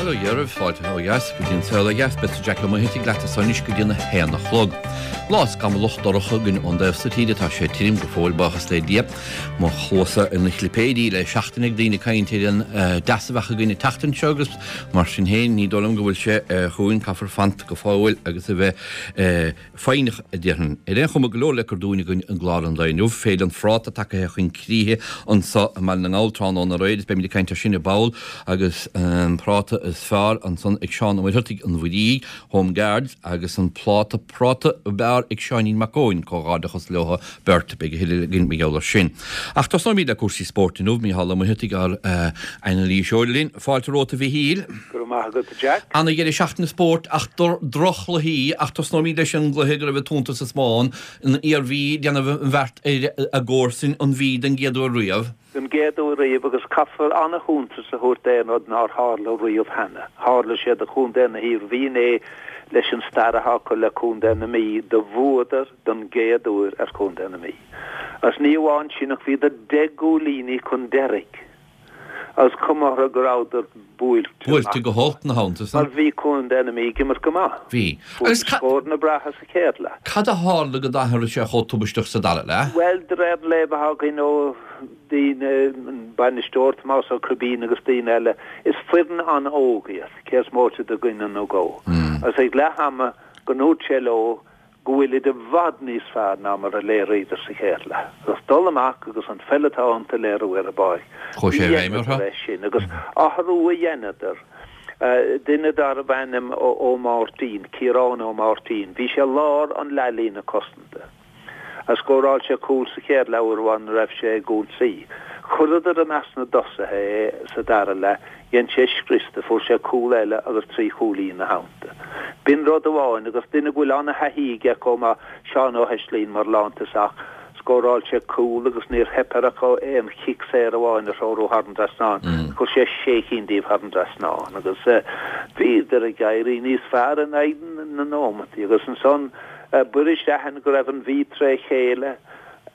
Bhuel, ó Dhia oraibh, fáilte ó dheas go dtí an saol ó dheas. Beidh Jack Ó Muircheartaigh leat anso anois go dtí an 1 a chlog. Lá scamallach dorcha againn ón dtaobh so tíre. Tá sé tirim go fóill, buíochas le Dia. Mo chluasa ina chlipéidí le seachtain ag daoine ag caint ar an dteas a bheadh againn an tseachtain seo agus mar sin féin ní dóigh liom go bhfuil sé chugainn. Caithfear fanacht go fóill agus a bheith foighneach, a déarfainn. Ar aon chuma, go leor le cur dúinn againn i gclár an lae inniu. Féile an Phráta tagaithe chun críche anso i mBaile na nGall tráthnóna aréir is beimid ag caint air sin i ball agus an práta is fearr ansan ag Seán Ó Muircheartaigh, an Mhuirígh, Home Guards, agus an pláta práta ab fhearr ag Seáinín Mac Eoin, comhghairdeachas leo beirt. Beidh a thuilleadh againn mar gheall air sin. Ach tosnóimid le cúrsaí spóirt inniu. Mícheál Ó Muircheartaigh, ár anailíseoir linn. Fáilte romhat a Mhichíl. Go raibh maith agat, a Jack. Ana-dheireadh seachtaine spóirt ach droch-chluichí ach tosnóimid leis an gcluiche go raibh an t-iontas is mó ann, an Iarmhí ag déanamh an bheart ar a gcomharsain, an Mhí den gcéad uair riamh. Den gcéad uair riamh agus caithfear ana-shuntas a thabhairt d'aon rud nár tharla riamh cheana. Tharla sé do chontae na hIarmhí inné leis an stair atá acu le contae na Mí, do bhuadar don gcéad uair ar chontae na Mí. Agus ní amháin sin ach bhíodar 10 gcúilíní chun deiridh agus cuma orthu go rabhadar buailte amach. Buailte go holc ina theannta san. Mar bhí contae na Mí ag imirt go maith. Bhí. Fuair Agus siad scóranna breátha sa chéad leath. Cad a tharla go d'athraigh sé chomh tubaisteach sa dara leath? Bhuel, de réir an léamh atá againn ó daoine, an bainisteoir Tomás Ó Cribín agus daoine eile, is foireann an-óg iad, cé is móite de dhuine nó dhó. Agus ag leath ama go ndúirt sé leo go bhfuilid i bhfad níos fearr ná mar a léiríodar sa chéad leath, agus dul amach agus an pheil atá iontu a léiriú ar an bpáirc. Chuaigh sé i bhfeidhm orthu. Dheineadar é sin, agus athrú a dheineadar. Duine darbh ainm Ó Máirtín, Ciarán Ó Máirtín, bhí sé lár an leathlíne cosanta. A scóráil sé cúl sa chéad leath uair amháin nuair a raibh sé ag ionsaí. Chuireadar i measc na dtosaithe é sa dara leath, dhein sé scrios de, fuair sé cúl eile agus 3 chúilín ina theannta. B'in rud amháin agus duine go bhfuil ana-thaithí aige chomh maith, Seán Ó hEislín mar lántosach, scóráil sé cúl agus níor theip air ach aon chic saor amháin a threorú thar an dtrasnán, chuir sé sé chinn díobh thar an dtrasnán agus bhíodar ag éirí níos fearr in aghaidh na nóimeataí agus ansan B'fhuirist a aithint go raibh an Mhí tré chéile,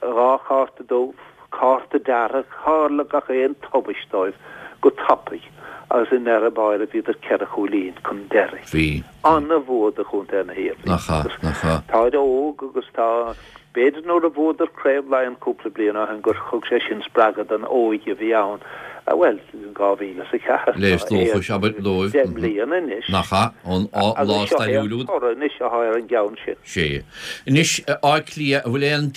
2 chárta dubh, cárta dearg, tharla gach aon tubaist dóibh go tapaidh agus i ndeireadh báire bhíodar 4 chúilín chun deiridh. Bhí. Ana-bhua do chontae na hIarmhí. Nach ea, nach ea. Táid óg agus tá, b'fhéidir nuair a bhuadar Craobh Laighean cúpla bliain ó shin gur thug sé sin spreagadh don óige a bhí ann, bhuel, in 2004, Léas dóchais, abair, dóibh. 10 mbliana anois. Nach ea, ón lá Agus seo é stairiúil an úd. toradh anois atá ar an gceann sin. Sea. Anois, Áth Cliath, an bhfuil aon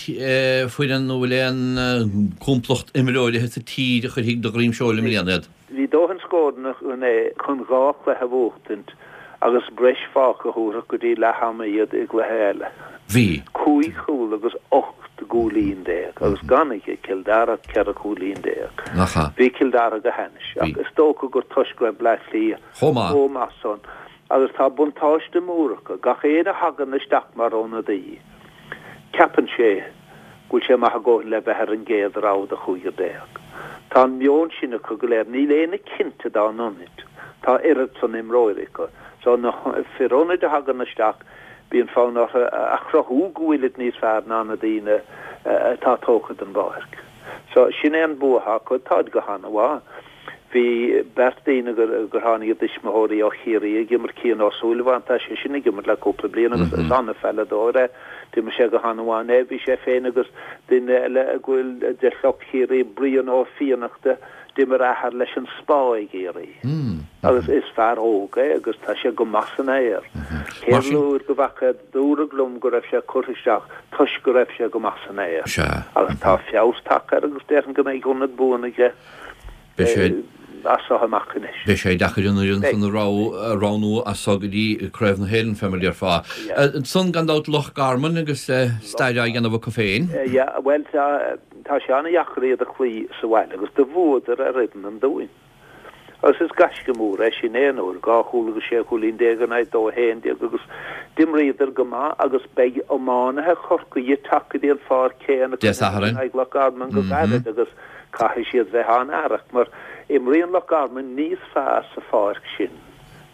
foireann nó an bhfuil aon complacht imreoirithe sa tír a chuirfidh de dhroim seoil i mbliana iad? Bhí dóthain scóranna acu inné chun 2 chluiche a bhuachtaint agus breis fágtha a thabharfadh go dtí leath ama iad i gcluiche eile. Bhí. 5 chúl agus 18 gcúilín agus gan ag Cill Dara ach 14 chúilín. Nach ea. Bhí Cill Dara go hainnis ach is dócha gur toisc go raibh Bleá Cliath Chomh maith. chomh maith san agus tá buntáiste mór acu, gach éinne a thagann isteach mar ionadaí ceapann sé go bhfuil sé maith a dhóthain le bheith ar an gcéad rogha de chúigear déag. Tá an meon sin acu go léir. Níl éinne cinnte dá n-ionaid. Tá oiread san imreoirí acu. So na fir ionaid a thagann isteach, bíonn fonn orthu a chruthú go bhfuilid níos fearr ná na daoine atá tógtha den bpáirc. So sin é an bua atá acu. Táid go han-mhaith. Bhí beirt daoine gur tháinig a dtuismitheoirí ó Chiarraí ag imirt, Cian Ó Súilleabháin, tá sé sin ag imirt le cúpla bliain agus is an-pheileadóir é. D'imir sé go han-mhaith inné. Bhí sé féin agus duine eile a bhfuil de shliocht Chiarraí, Brian Ó Fiannachta, d'imir a athair leis an Spá i gCiarraí. Agus is fear óg é agus tá sé go maith san aer. Céad uair go bhfaca Dúradh liom go raibh sé curtha isteach toisc go raibh sé go maith san aer. Agus tá feabhas tagtha air agus déarfainn go mbeidh ionad buan aige as seo amach anois. Beidh sé deacair an fhoireann san a roghnú as seo go dtí Craobh na hÉireann, fé mar a déarfá. Ansan gan dabht Loch Garman agus stair á dhéanamh acu féin. Yeah, bhuel tá sé an-dheacair iad a chloí sa bhaile agus do bhuadar ar fhoireann an Dúin. Agus is gaisce mór é sin aon uair, 2 chúl agus 16 chúilín in aghaidh 2, 11 agus d'imríodar go maith agus beidh iománaithe Chorcaí ag teacht go dtí an pháirc chéanna Dé Sathairn. in aghaidh Loch Garman go gairid agus caithfidh siad bheith an-aireach mar imríonn Loch Garman níos fearr sa pháirc sin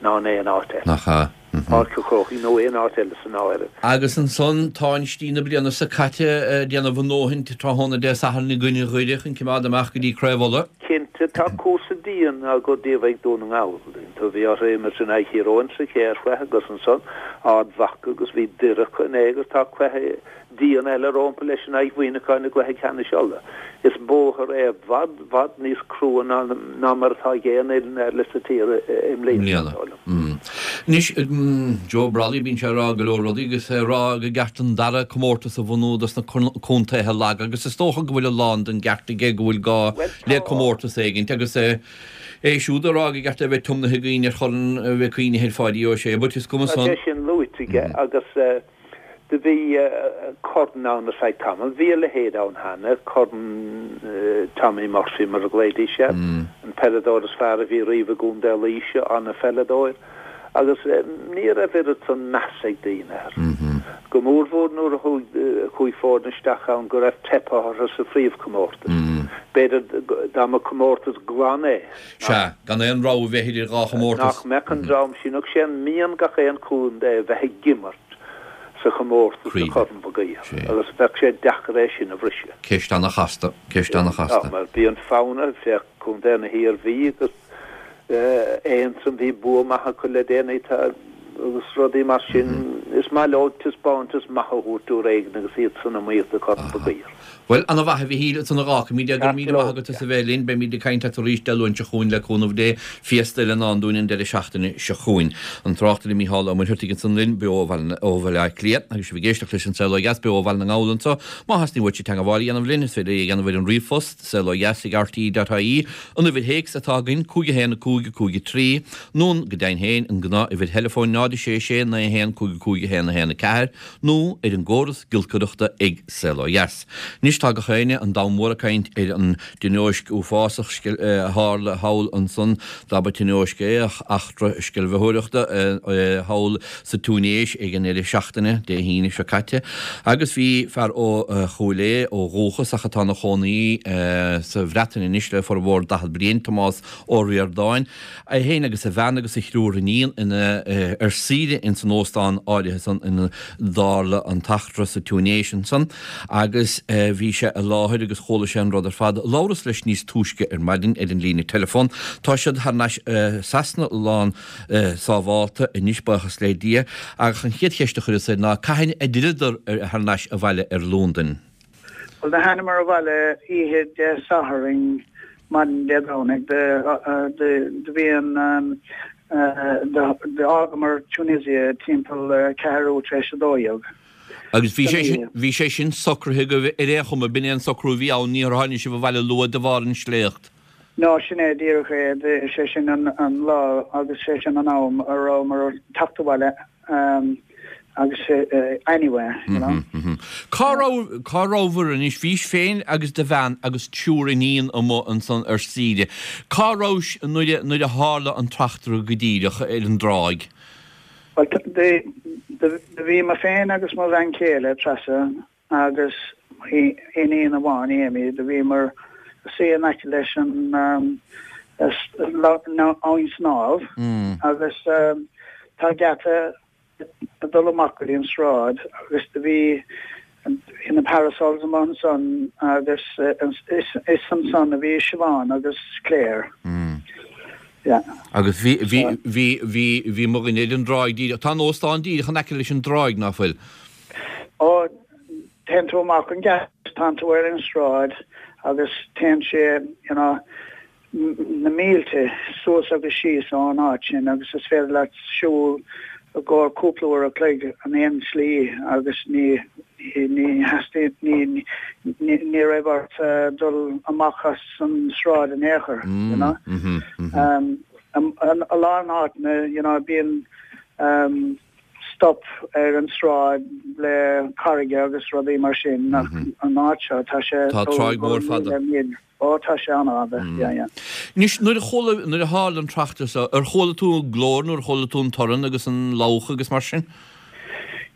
ná in aon áit eile. Nach ea? Páirc an Chrócaigh nó aon áit eile san áireamh. Agus ansan táinistí na bliana seo caite ag déanamh a ndóthain tráthnóna Dé Sathairn i gcoinne Dhoire chun cimeád amach go dtí Craobh Uladh. Cinnte, tá cúrsa dian á gcur díobh ag Dún na nGall. tú, bhí orthu imirt in aghaidh Thír Eoghain sa chéad chluiche agus ansan Ard Mhacha agus bhí Doire acu inné agus tá cluiche dian eile rompu leis in aghaidh Mhuineacháin i gcluiche ceannais Uladh. Is bóthar é i bhfad, bhfad níos crua ná ná mar atá ag aon fhoireann eile sa tír i mbliana, is dóigh liom. Anois, Joe Brolly, bíonn sé ag rá go leor rudaí agus é ag rá gur ceart an dara comórtas a bhunú dos na contaetha laga agus is dócha go bhfuil a lán den gceart aige go bhfuil gá le comórtas éigint agus é siúd ag rá gur ceart é a bheith tiomnaithe do dhaoine ar Chorn Mhic Aoidh ar Pháidí Ó Sé but is cuma san. Tá sé sin luaite aige agus Do bhí corn ann ar feadh tamaill. Bhí a leithéid ann cheana, Corn Tommy Murphy mar a ghlaoidís air, an peileadóir is fearr a bhí riamh i gContae Laoise, ana-pheileadóir. Agus ní raibh oiread san meas ag daoine air. Go mórmhór nuair a chuaigh foirne isteach ann go raibh teipthe orthu sa phríomhchomórtas. B'fhéidir dá mba comórtas glan é. Sea, gan aon rogha a bheith idir dhá chomórtas. Nach mbeadh an dream sin, ach sé an mian gach aon chontae a bheith ag imirt sa chomórtas do Chorn Mhig Uidhir agus bheadh sé deacair é sin a bhriseadh. Ceist ana-chasta, ceist ana-chasta. Mar bíonn fonn air, féach Contae na hIarmhí agus Aontroim, bhí bua maith acu le déanaí tá agus rudaí mar sin. Is maith leo taispeántas maith a thabhairt uair éigin agus iad san iomaíocht do Chorn Mhig Uidhir. Bhuel, ana mhaith a Mhichíl, ansan a dh'fhágfaimid é. Go raibh míle maith agat as a bheith linn. Beimid ag caint leat arís Dé Luain seo chugainn le cúnamh Dé. Féasta eile i ndán dúinn an deireadh seachtaine seo chugainn. An tráchtaire Mícheál Ó Muircheartaigh ansan linn, beo ó Bhaile Átha Cliath. Agus sibh ag éisteacht leis An Saol Ó Dheas beo ó Bhaile na nGall anseo. Má theastaíonn uait teagmháil a dhéanamh linn, is féidir é a dhéanamh ar an ríomhphost, saolodheas ag rte.ie. An uimhir théacs atá againn, 5 1 5 5 3, nó go deimhin féin, an gnáth-uimhir theileafóin, 0 6 6 9 1 5 5 1 1 4. nó ar an gcóras giolcaireachta ag Saol Ó Dheas. Anois tá gach éinne, an domhan mór ag caint ar an dtionóisc uafásach a tharla thall ansan, dá ba tionóisc é ach eachtra sceimhlitheoireachta thall sa Túinéis ag an ndeireadh seachtaine, Dé hAoine seo caite, agus bhí fear ó Chúil Aodha ó dhúchas ach atá ina chónaí sa Bhreatain anois le formhór 40 bliain, Tomás Ó Ríordáin, É féin agus a bhean agus a thriúr iníon ina ar saoire ins an óstán áirithe san ina dtarla an t-eachtra sa Túinéis ansan agus bhí sé i láthair agus chuala sé an rud ar fad. Labhras leis níos túisce ar maidin ar an líne teileafóin. Tá siad thar n-ais i Sasana lán sábhálta anois buíochas le Dia ach an chéad cheist a chuireas air ná cathain a d'fhilleadar thar n-ais abhaile ar Londain. Bhuel do thánamar abhaile oíche Dé Sathairn maidin Dé Domhnaigh. Do bhí an, d'fhágamar Tunisia timpeall ceathrú tar éis 12. Agus bhí sé sin, bhí sé sin socraithe agaibh ar aon chuma, b'in é an socrú a bhí ann, níor tháinig sibh abhaile luath de bharr an sléacht. No, sin é díreach é, sé sin an lá agus sé sin an am a rabhamar ag teacht abhaile. Agus anyway, you know. Cá raibh, cá rabhabhair anois? Bhís féin agus do bhean agus triúr iníon amuigh ansan ar saoire. Cá rabhais nuair a, nuair a tharla an t-eachtra go díreach ar an dtráigh? Bhuel, do bhí mé féin agus mo bhean chéile, Treasa, agus iníon amháin, Amy, do bhíomar suí in aice leis an abhainn snámh agus tá geata ag dul amach go dtí an sráid agus do bhí na parasols amuigh ansan agus is ansan a bhí Siobhán agus Claire. Yeah. Agus bhí, bhí, bhí, bhí, bhí mo dhuine ar an dtráigh díreach, tá an óstán díreach in aice leis an dtráigh, ná fuil? Ó, téann tú amach an geata, tánn tú ar an sráid agus téann sé, you know, na mílte suas agus síos ón áit sin agus is féidir leat siúl i gcomhair cúpla uair a chloig an aon slí agus ní, ní theastaíonn, ní, ní, ní raibh ort dul amach as an sráid in aon chor, you know. A lán áiteanna, you know, bíonn, stop ar an sráid le carraige agus rudaí mar sin ach an áit seo tá sé Tá tráigh mhór fada. Ó tá sé an-fhada, yeah yeah. Anois nuair a chuala, nuair a tharla an t-eachtra seo, ar chuala tú an glór nó ar chuala tú an torann agus an labhach agus mar sin?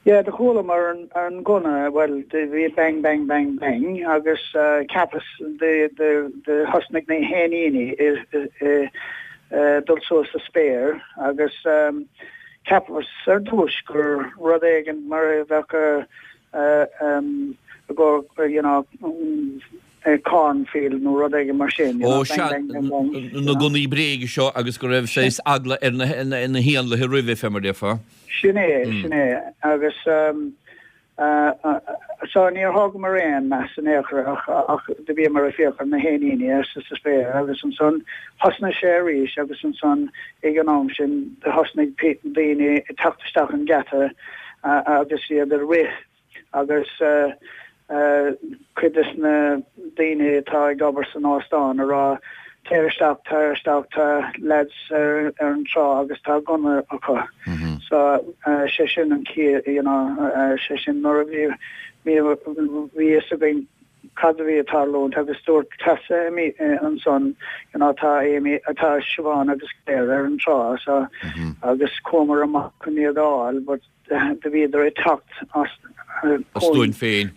Yeah, do chualamar an gunna, bhuel do bhí bang bang bang bang agus cheapas do do thosnaigh na héiníní ag dul suas sa spéir agus Cheapas ar dtúis gur rud éigin mar a bheadh i gcomhair you know. Cornfield nó rud éigin mar sin, you know, Ó sea, bang, bang, bang, bang, na gunnaí bréige seo agus go raibh saghas eagla ar na héanlaithe roimhe, fé mar déarfá. Sin é, sin é. Agus so níor thógamar aon meas in aon chor ach ach do bhíomar ag féachaint ar na héiníní sa sa spéir agus ansan thosnaigh sé arís agus ansan ag an am sin do thosnaigh daoine ag teacht isteach an geata agus iad ag rith agus cuid des na daoine atá ag obair san óstán ag rá téir isteach, téir isteach, tá lads ar an trá agus tá gunna acu. So sé sin an chaoi, you know, sé sin nuair a bhí, bhí fhios againn cad a bhí ag tarlúint agus dúirt Treasa ansan, you know, tá Amy, tá Siobhán agus Claire ar an trá so agus chuamar amach chun iad a fháil but do bhíodar ag teacht as chugainn féin.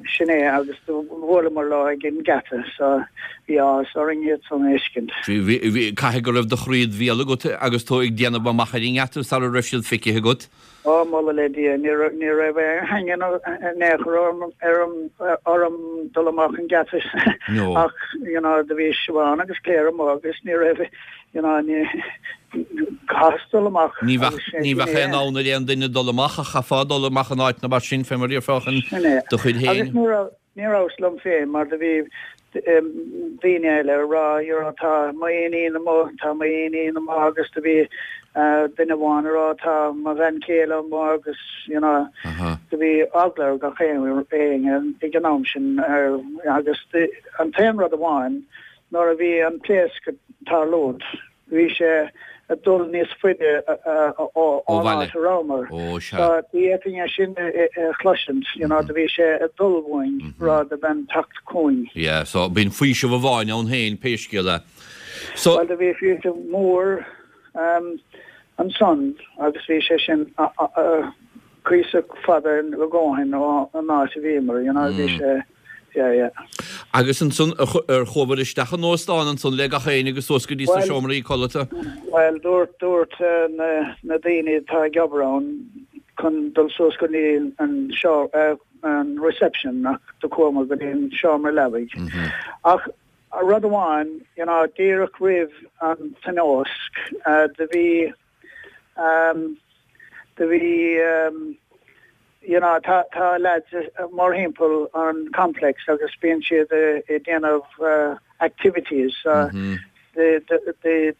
Sin é, agus do bhuaileamar leo ag an ngeata, so bhí áthas orainn iad san a fheiscint. Bhí, caithfidh go raibh do chroí id bhéal agat agus tú ag déanamh amach ar an ngeata sara raibh siad feicthe agat. Ó, moladh le Dia, ní raibh, ní raibh aon chaingean in aon chor orm, orm dul amach an geata ach, you know, do bhí Siobhán agus Claire amuigh agus ní raibh, You know, ní chaitheas dul amach. Ní bheadh, ní bheadh aon fhonn ar aon duine dul amach ach chaithfeá dul amach in áiteanna mar sin fé mar a déarfá chun do chuid féin. Agus ní raibh, ní rabhas liom féin mar do bhí daoine eile ag rá, you know, tá m'iníon amuigh, tá m'iníon amuigh agus do bhí duine amháin ag rá tá mo bhean chéile amuigh agus, you know, do bhí eagla ar gach éinne ag an am sin agus an t-aon rud amháin Nuair a bhí an pléasc ag tarlúint, bhí sé ag dul níos faide ón áit a rabhamar. So ní fhéadfainn é sin a chloisint, you know, do bhí sé ag dul uainn rather than teacht chugainn. Yeah, so bíonn faoiseamh amháin ann féin, pé scéal é. So. Bhuel, do bhí faoiseamh mór ansan agus bhí sé sin cuíosach fada a dhóthain ón áit a bhíomar, you know, bhí sé. Yeah, yeah. Agus ansan, ar chuabhair isteach in óstán ansan le gach éinne agus suas go dtí sna seomraí codlata? Bhuel, dúirt, dúirt na, na daoine atá ag obair ann chun dul suas go dtí an seo, an reception ach do chuamar go dtí an seomra leabaidh. Ach rud amháin, you know, díreach roimh an tionóisc, do bhí, Do bhí, you know, tá, tá lads mórthimpeall an complex agus bíonn siad ag déanamh activities. Do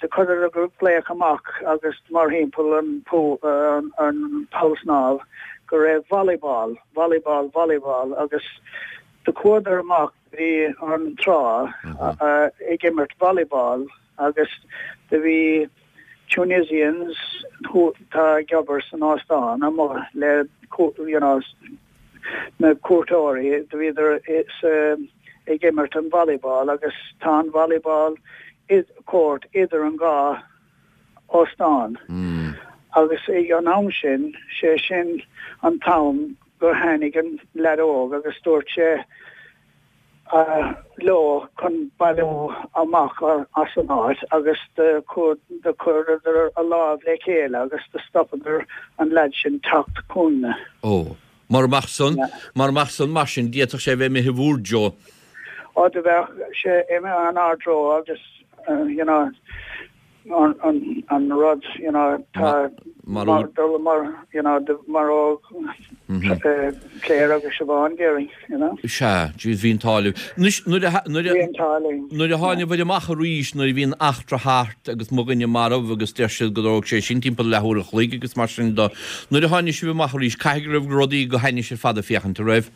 cuireadh glaoch amach agus mórthimpeall an pool, an poll snámh go raibh volleyball, volleyball, volleyball agus do chuadar amach go dtí an trá ag imirt volleyball agus do bhí Tunisians atá ag obair san óstán amuigh le you know na cuairteoirí, do bhíodar ag imirt an volleyball agus tá an volleyball court idir an dhá óstán agus ag an am sin, sé sin an t-am gur tháinig an leaid óg agus dúirt sé leo chun bailiú amach as an áit agus do chuireadar a lámh le chéile agus do stopadar an leaid sin teacht chugainne. Ó. Mura mbeadh san, mura mbeadh san mar sin, d'fhéadfadh sé a bheith imithe bhúr dtreo. Ó, do bheadh sé imithe inár dtreo agus, you know, an rud, you know, tá mar dul mar, you know, maródh Claire agus Siobhán déarfainn, you know. Sea, jeez, bhí an t-ádh libh. Anois, nuair a, nuair a, Bhí an t-ádh linn. nuair a tháinigibh amach arís, nuair a bhí an eachtra thart agus mo dhuine marbh agus deir siad go dtóg sé sin timpeall leathuair an chloig agus mar sin de, nuair a tháinig sibh amach arís, caithfidh go raibh rudaí go hainnis ar fad ag féachaint, an raibh?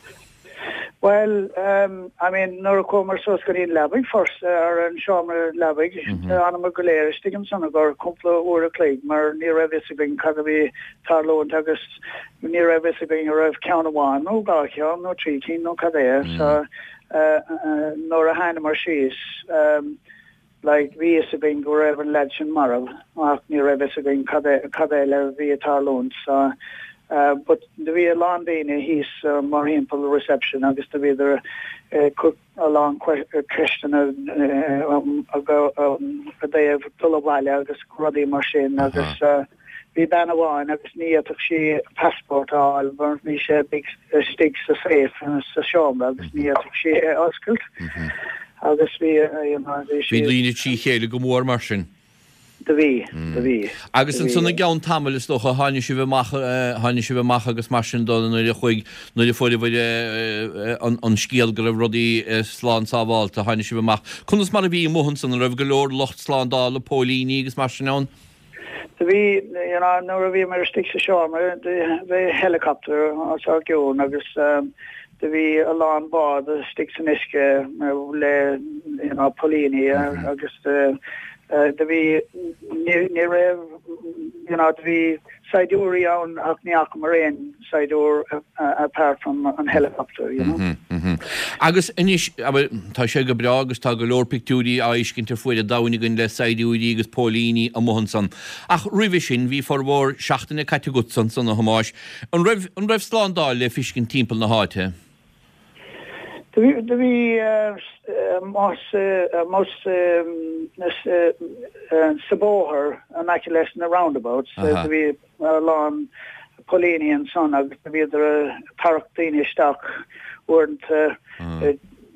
Bhuel, I mean, nuair a chuamar suas go dtí an leabaidh first, ar an seomra leabaidh, d'fhanamar go léir istigh ansan i gcomhair cúpla uair a chloig mar ní raibh fhios againn cad a bhí tarlúint agus ní raibh fhios againn an raibh ceann amháin nó dhá cheann nó trí cinn nó cad é. So, nuair a thánamar síos, Like, bhí fhios againn go raibh an leaid sin marbh ach ní raibh fhios againn cad é, cad eile a bhí ag tarlúint so but do bhí a lán daoine thíos mórthimpeall reception agus do bhíodar ag cur a lán ceisteanna i dtaobh dul abhaile agus rudaí mar sin agus. Bhí bean amháin agus ní fhéadfadh sí a passport a fháil mar bhí sé istigh sa safe sa seomra agus ní fhéadfadh sí é a oscailt agus bhí you know bhí sí. Bhí daoine trí chéile go mór mar sin. Do bhí, do bhí. Agus ansan i gceann tamaill is dócha tháinig sibh amach, tháinig sibh amach agus mar sin do nuair a chuaigh, nuair a fuaireabhair an scéal go raibh rudaí slán sábhálta, tháinig sibh amach. Conas mar a bhí amuigh ansan, an raibh go leor lucht slándála, póilíní agus mar sin ann? Do bhí, you know, nuair a bhíomar istigh sa seomra, do bhí helicopter os ár gcionn agus do bhí a lán bád istigh san uisce le, you know, póilíní agus do bhí, ní, ní raibh, you know, do bhí saighdiúirí ann ach ní fhacamar aon saighdiúir apart from an helicopter, you know. Agus anois, abair, tá sé go breá agus tá go leor pictiúirí á fheiscint ar fuaid an domhain againn le saighdiúirí agus póilíní amuigh ansan. Ach roimhe sin, bhí formhór seachtaine caite agatsa ansan, a Thomáis. An raibh, an raibh slándáil le fiscint timpeall na háite? Do bhí, do bhí más, más sa bóthar in aice leis na roundabouts, do bhí a lán póilíní ansan agus do bhíodar ag tarrac daoine isteach uaireanta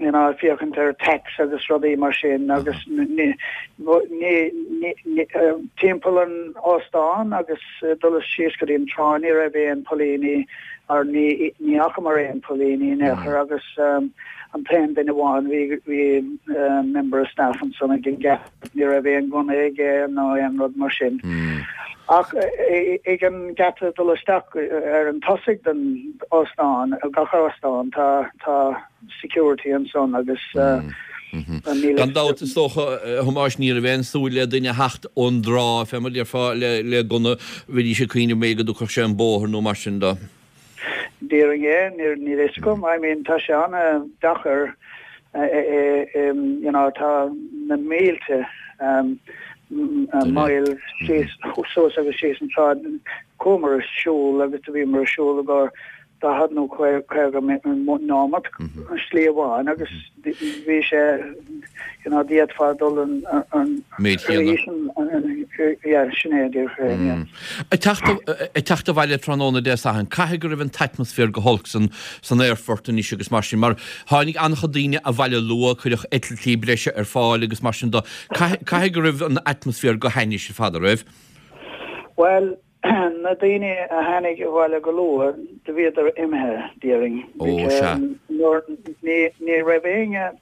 you know ag féachaint ar tax agus rudaí mar sin agus ní, ní, ní, timpeall an óstán agus dul síos go dtí an trá ní raibh aon póilíní or ní, ní fhacamar aon póilíní in aon chor agus an t-aon duine amháin bhí, bhí member of staff ansan ag an geata. Ní raibh aon gunna aige ná aon rud mar sin. Ach ag an geata dul isteach ar an tosaigh den óstán, gach óstán, tá tá security ansan agus níl Gan dabht, is dócha, a Thomáis, ní raibh aon súil le duine a theacht ón dtrá, fé mar a déarfá, le gunna, bheidís ag cuimhneamh b'fhéidir go dtógfadh sé an bóthar nó mar sin de. Déarfainn é, níl a fhios agam, I mean tá sé an-deacair you know tá na mílte mile síos suas agus síos an tsráid, chuamar ag siúl agus do bhíomar ag siúl i gcomhair 40 nó 50 nóimeat slí amháin agus bhí sé you know d'fhéadfá dul an an méid chéanna. Yeah, sin é díreach é, yeah. Ag teacht abhaile tráthnóna Dé Sathairn, caithfidh go raibh an t-atmaisféar go holc san san aerfort anois agus mar sin, mar tháinig an-chuid daoine abhaile luath, cuireadh eitiltí breise ar fáil agus mar sin de. Caithfidh go raibh an atmaisféar go hainnis ar fad, an raibh? Bhuel, na daoine a tháinig abhaile go luath, do bhíodar imithe, déarfainn. Ó, sea. Nuair, ní, ní raibh éinne,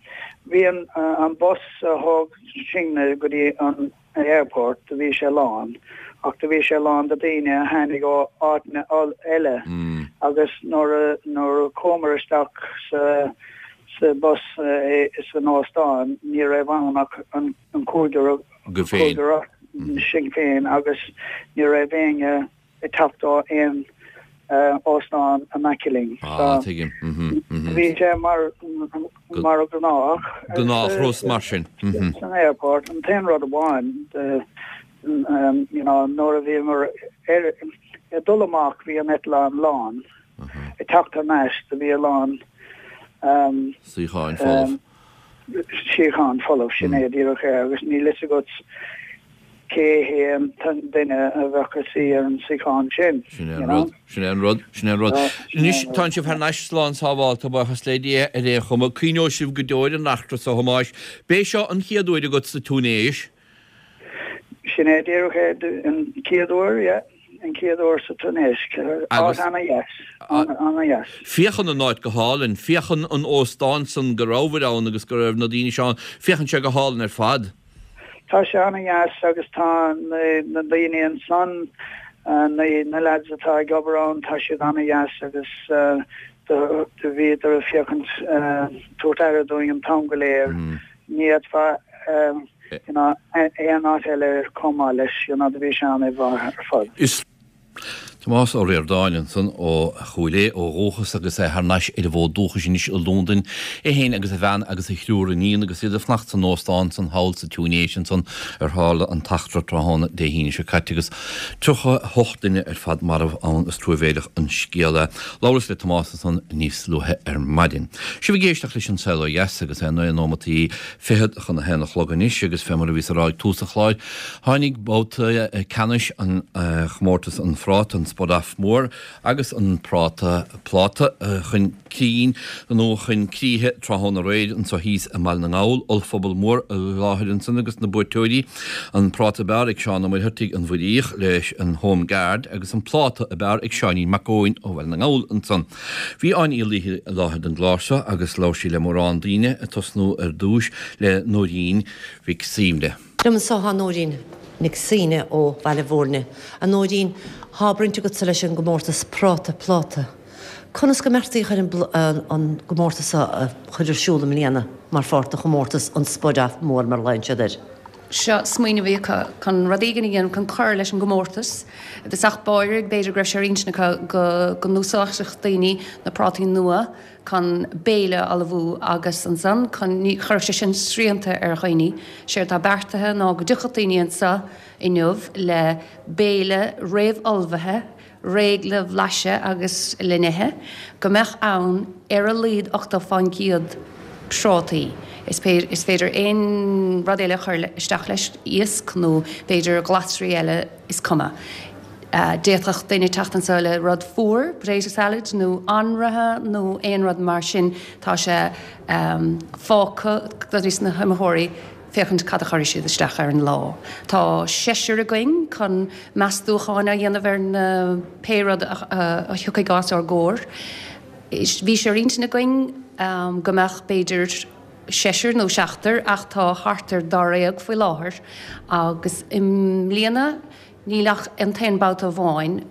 bhí an, an bus a thóg sinne go dtí an airport, do bhí sé lán, ach do bhí sé lán de daoine a tháinig ó áiteanna eile agus nuair a, nuair a chuamar isteach sa, sa bus san óstán, ní raibh ann ach an, an cúigear, Agaibh féin. Cúigear sinn féin agus ní raibh éinne ag teacht ó aon óstán in aice linn. Ah, tuigim. Bhí sé mar mar gnách. Gnáthrud mar sin. San airport. An t-aon rud amháin you know nuair a bhíomar ar ag dul amach bhí an eitleán lán. Ag teacht thar n-ais do bhí a lán Suíocháin folamh. Suíochán folamh, sin é díreach é agus níl fhios agat cé hé an duine a bheadh ag suí ar an suíochán sin. Sin é an rud, sin é an rud, sin é an rud. Anois, tánn sibh thar n-ais slán sábhálta, buíochas le Dia, ar aon chuma. Cuimhneoidh sibh go deo ar an eachtra so, a Thomáis. B'é seo an chéad uair agat sa Túinéis? Sin é díreach é, an chéad uair, yeah. An chéad uair sa Túinéis. Áit ana-dheas. Ana-dheas. Féachann an áit go hálainn. Féachann an óstán san go rabhabhair ann agus go raibh na daoine seo ann, féachann sé go hálainn ar fad. Tá sé ana-dheas agus tá na daoine ansan, na lads atá ag obair ann, tá siad ana-dheas agus do bhíodar ag féachaint, tabhairt aire dúinn an t-am go léir. Ní fhéadfá you know, aon áit eile chomh maith leis, you know, do bhí sé an-mhaith ar fad. Is. Tomás Ó Ríordáin ansan ó Chúil Aodha ó dhúchas agus é thar n-ais ar an bhfód dúchais anois i Londain, é féin agus a bhean agus a thriúr iníon agus iad ag fanacht san óstán san thall sa Túinéis ansan ar tharla an t-eachtra tráthnóna Dé hAoine seo caite agus 38 duine ar fad marbh ann. Is truamhéileach an scéal é. Labhras le Tomás ansan níos luaithe ar maidin. Sibh ag éisteacht leis An Saol Ó Dheas agus é naoi nóimeataí fichead chun a haon a chlog anois agus fé mar a bhíos a rá ag tús an chláir, Tháinig babhta ceannais an chomórtais an Phráta, an Spud Off Mór agus an Práta Pláta chun cinn nó chun críche tráthnóna aréir anseo thíos i mBaile na nGall. Ollphuball mór i láthair ansan agus na buaiteoirí, an Práta ab fhearr ag Seán Ó Muircheartaigh an Mhuiríoch leis an Home Guard agus an Pláta ab fhearr ag Seáinín Mac Eoin ó Bhaile na nGall ansan. Bhí Áine Uí Laoithe i láthair don gclár seo agus labhair sí le mórán daoine, ag tosnú ar dtúis le Nóirín Mhic Suibhne. Liom anso thá Nóirín Nic Suibhne ó Bhaile Mhúirne. A Nóirín, thá baint agatsa leis an gcomórtas Práta Pláta. Conas go mbeartaíodh ar an gcomórtas seo a chur ar siúl i mbliana mar pháirt de chomórtas an Spud Off Mór mar a ghlaonn siad air? Seo smaoineamh a bhí acu chun rud éigin a dhéanamh chun cur leis an gcomórtas. I dtosach báire, b'fhéidir go raibh sé ar intinn acu go n-úsáidfeadh daoine na prátaí nua chun béile a ullmhú agus ansan chun, ní chuirfeadh sé sin srianta ar dhaoine. Séard atá beartaithe ná go dtiocfadh daoine anseo inniu le béile réamh-ullmhaithe, réidh le bhlaiseadh agus le n-ithe, go mbeadh ann ar a laghad 80% prátaí. Is is féidir aon rud eile a chur isteach leis, iasc nó b'fhéidir glasraí eile, is cuma. D'fhéadfadh duine teacht anseo le rud fuar, potato salad nó anraithe nó aon rud mar sin. Tá sé fágtha dos na hiomaitheoirí féachaint cad a chuirfidh siad isteach ar an lá. Tá seisear againn chun meastúcháin a dhéanamh ar na pé rud a thiocfaidh os ár gcomhair. Bhí sé ar intinn againn go mbeadh b'fhéidir seisear nó seachtar ach tá thart ar dáréag faoi láthair agus i mbliana níl ach an t-aon babhta amháin.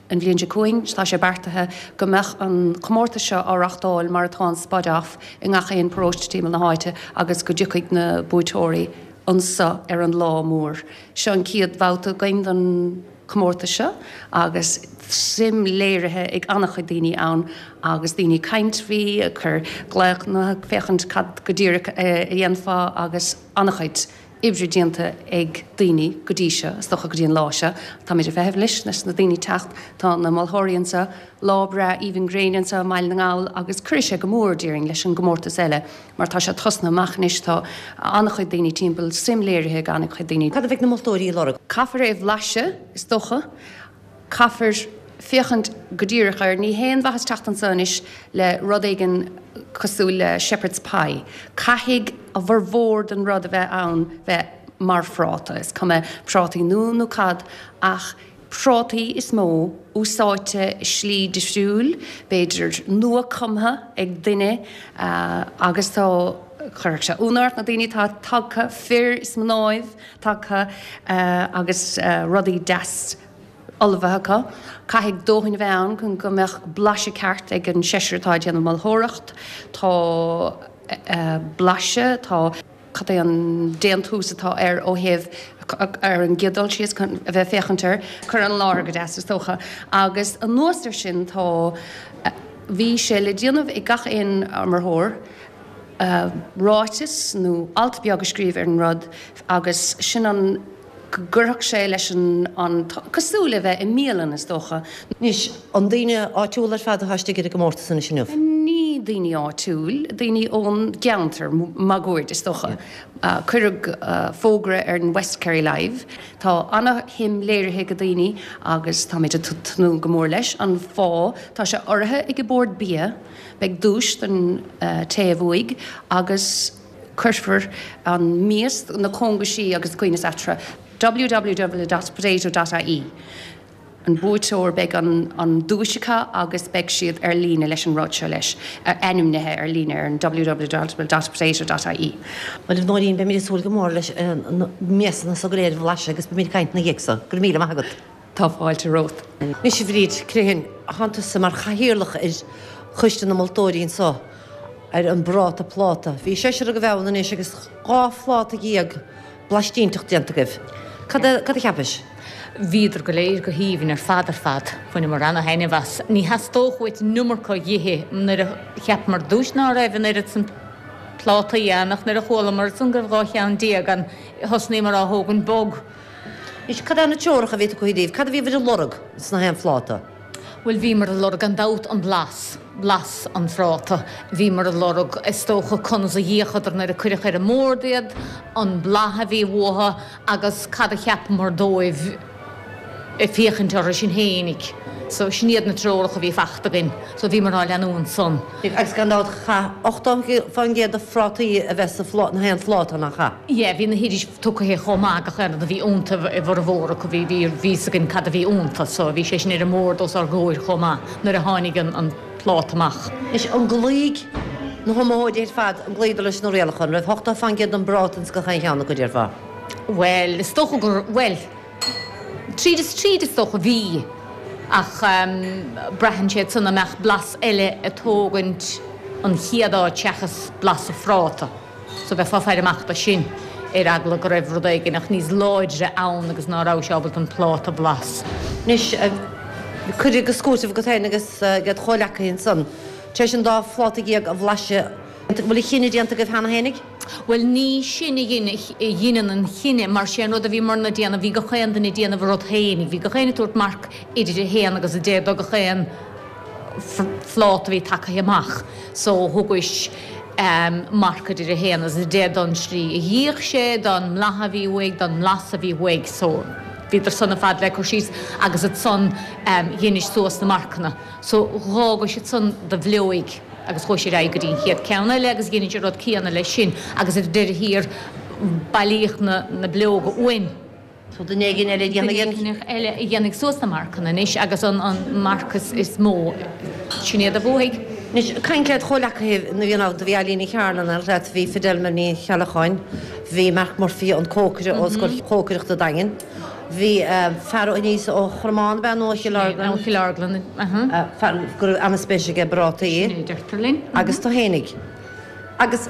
An bhliain seo chugainn tá sé beartaithe go mbeadh an comórtas seo á reachtáil mar atá an Spud Off i ngach aon paróiste timpeall na háite agus go dtiocfaidh na buaiteoirí anso ar an lá mór. Seo an chéad bhabhta againn don chomórtas seo agus suim léirithe ag an-chuid daoine ann agus daoine ag caint faoi, ag cur glaochanna, ag féachaint cad go díreach a dhéanfá agus an-chuid oibre déanta ag daoine go dtí seo, is dócha go dtí an lá seo. Táimid ag feitheamh anois leis na daoine teacht. Tá na moltóirí anseo, lá breá aoibhinn gréine anseo i mBaile na nGall agus cuirfidh sé go mór, déarfainn, leis an gcomórtas eile. Mar tá sé tosnaithe amach anois, tá an-chuid daoine timpeall, suim léirithe ag an-chuid daoine. Cad a bheidh na moltóirí ag lorg? Caithfear é a bhlaiseadh, is dócha. Caithfear féachaint go díreach air. Ní haon mhaitheas teacht anseo anois le rud éigin cosúil le shepherd's pie. Caithfidh a bhformhór den rud a bheith ann bheith mar phráta. Is cuma prátaí nua nó cad, ach prátaí is mó, úsáidte i slí difriúil, b'fhéidir nua-cumtha ag duine agus tá, chuirfeadh sé ionadh ort na daoine atá tagtha, fir is mnáibh tagtha agus rudaí deas ullmhaithe acu. Caithfidh dóthain a bheith ann chun go mbeadh blaiseadh ceart ag an seisear atá ag déanamh moltóireacht. Tá blaiseadh, tá. cad é an déantús atá air ó thaobh, ar an gcéad dul síos, chun a bheith ag féachaint air, cur i láthair go deas is dócha. Agus anuas air sin tá, bhí sé le déanamh ag gach aon iomaitheoir ráiteas nó alt beag a scríobh ar an rud agus sin an, go gcuirfeadh sé leis an, cosúil le bheith i mbialann is dócha. Anois, an daoine áitiúla ar fad atá istigh ar an gcomórtas anois inniu? Ní daoine áitiúil, daoine ón gceantar máguaird is dócha. Cuireadh fógra ar an West Kerry Live. Tá ana-shuim léirithe ag daoine agus táimid ag tnúth go mór leis. An fáth, tá sé urraithe ag an Bord Bia, beidh duais don té a bhuaigh agus, Cuirfear an mias, na cóngaisí agus coibhneas eatarthu. www.potato.ie An buaiteoir, beidh an duais acu agus beidh siad ar líne leis an rud seo leis, ainmnithe ar líne ar an www.potato.ie. Bhuel, a Nóirín, beimid ag súil go mór leis na miasanna so go léir a bhlaiseadh agus beimid ag caint ina dhiaidh so. Go raibh míle maith agat. Tá fáilte romhat. Anois a Bhríd Crehan, thánn tusa mar chathaoirleach ar choiste na moltóirí anso ar an bPráta Pláta. Bhí seisear agaibh ann anois agus 12 phláta blaistínteach déanta agaibh. Cad a, cad a cheapais? Bhíodar go léir go haoibhinn ar fad ar fad. Bhaineamar ana-thaitneamh as. Ní theastódh uait an iomarca dh'ithe nuair a cheapamar ar dtúis ná raibh an oiread san plátaí ann ach nuair a chualamar ansan go raibh 12 cheann ann thosnaíomar á thógaint bog. Anois, cad é na treoracha a bhí tugtha daoibh? Cad a bhíobhair ag lorg sna haon phláta? Bhuel, bhíomar ag lorg gan dabht an blas, blas an phráta. Bhíomar ag lorg, is dócha, conas a d'fhéachadar nuair a cuireadh ar an mbord iad, an blas a bhí uathu agus cad a cheapamar dóibh ag féachaint orthu sin fhéinig. So, sin iad na treoracha a bhí fachta againn. So, bhíomar á leanúint san. Agus gan dabht, chaith 80% de phrátaí a bheith sa na haon phláta, nach ea? Yeah, bhí na hoidis tugtha chomh maith gach aon rud a bhí iontu i bhformhór acu, bhí, bhí, bhí fhios againn cad a bhí iontu so bhí sé sin ar an mbord os ár gcomhair chomh maith nuair a tháinig an, an pláta amach. Anois, an gcloígh na hiomaitheoirí ar fad, an gcloíodar leis na rialacha? An raibh 80% den bpráta ins gach aon cheann acu, déarfá? Bhuel, is dócha gur, bhuel, tríd is tríd is dócha, bhí, ach braitheann sé ansan an mbeadh blas eile ag tógaint an chéad áit seachas blas an phráta. So bheifeá ag faire amach do sin, ar eagla go raibh rud éigineach níos láidre ann agus ná raibh sé ábalta an pláta a bhlas. Anois, cuireadh go scúirteamh agat féin agus ag do chomhleacaithe ansan, tar éis an dá phláta dhéag a bhlaiseadh, an bhfuil an chinneadh déanta agaibh cheana fhéinig? Bhuel, ní sinn a dhein, a dheineann an chinneadh, mar sé an rud a bhíomarna ag déanamh, bhí gach aon duine ag déanamh a rud féinig, bhí gach éinne ag tabhairt marc idir a haon agus a deich do gach aon phláta a bhí tagtha amach so thugais marc idir 1 agus 10 don slí a d'fhéach sé, don mblath a bhí uaidh, don mblas a bhí uaidh so bhíodar san ar fad le cur síos agus ansan dheinis suas na marcanna so dh'fhágais ansan do bhileoig agus chuais ar aghaidh go dtí an chéad ceann eile agus dheinis an rud céanna leis sin agus ar deireadh thiar bailíodh na bileoga uainn. So duine éigin eile a dhéanfaidh an. Duine éigin eile a dhéanfaidh suas na marcanna anois agus an marc is mó, sin iad a bhuafaidh. Anois, caint led chomhleacaithe nuair a bhí ann, do bhí Eileen Ní Chearna ann leat, bhí Fidelma Ní Cheallacháin, bhí Mark Murphy, an cócaire ó Scoil Chócaireachta Daingean, bhí fear aníos ó Chromán, ab ea, nó ó Chill Orglan? Ó Chill Orglan, fear go raibh an-spéis aige i bprátaí. Sin é a deirtear linn. Agus tú fhéinig. Agus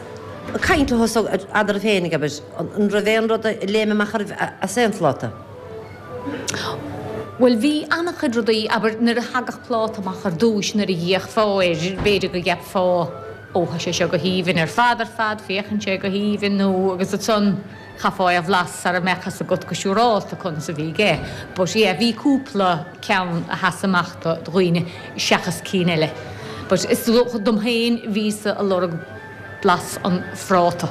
ag caint leo so eadraibh féinig, abair, an raibh aon rud a léim amach oraibh as aon phláta? Bhuel, bhí an-chuid rudaí, abair, nuair a thagadh pláta amach ar dtúis, nuair a d'fhéachfá air, b'fhéidir go gceapfá, ó, tá sé seo go haoibhinn ar fad ar fad, féachann sé go haoibhinn, nó agus ansan chaithfeá é a bhlas sara mbeadh fhios agat go siúrálta conas a bhí aige. But yeah, bhí cúpla ceann a sheas amach do dhaoine seachas cinn eile. But is dócha dom féin, bhíos-sa ag lorg blas an phráta.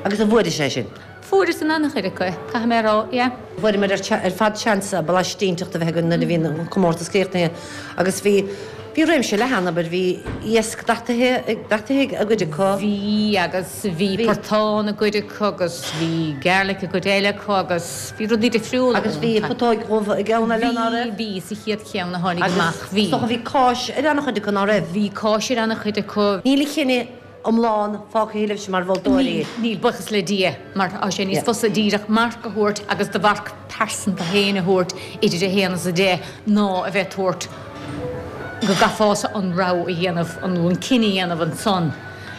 Agus an bhfuairis é sin? Fuaireas in an-chuid acu, caithfidh mé a rá, yeah. Fuaireamar ar fad seans blaiste iontach a bheith againn nuair a bhí an comórtas críochnaithe agus bhí bhí réimse leathan, abair, bhí iasc dataithe dataithe i gcuid acu. Bhí agus bhí portán i gcuid acu agus bhí garlic i gcuid eile acu agus bhí rudaí difriúla Agus bhí putóig dhubh i gceann eile, ná raibh? Bhí, bhí, sa chéad cheann a tháinig amach, bhí. Agus is dócha bhí cáis ar an-chuid acu, ná raibh? Bhí cáis ar an-chuid acu. Níl an cinneadh iomlán fágtha libhse mar mholtóirí. Níl, níl, buíochas le Dia, mar tá sé níos fusa díreach marc a thabhairt agus do mharc pearsanta féin a thabhairt idir 1 agus 10 ná a bheith ag tabhairt go gcaithfeása an rogha a dhéanamh, an cinneadh a dhéanamh ansan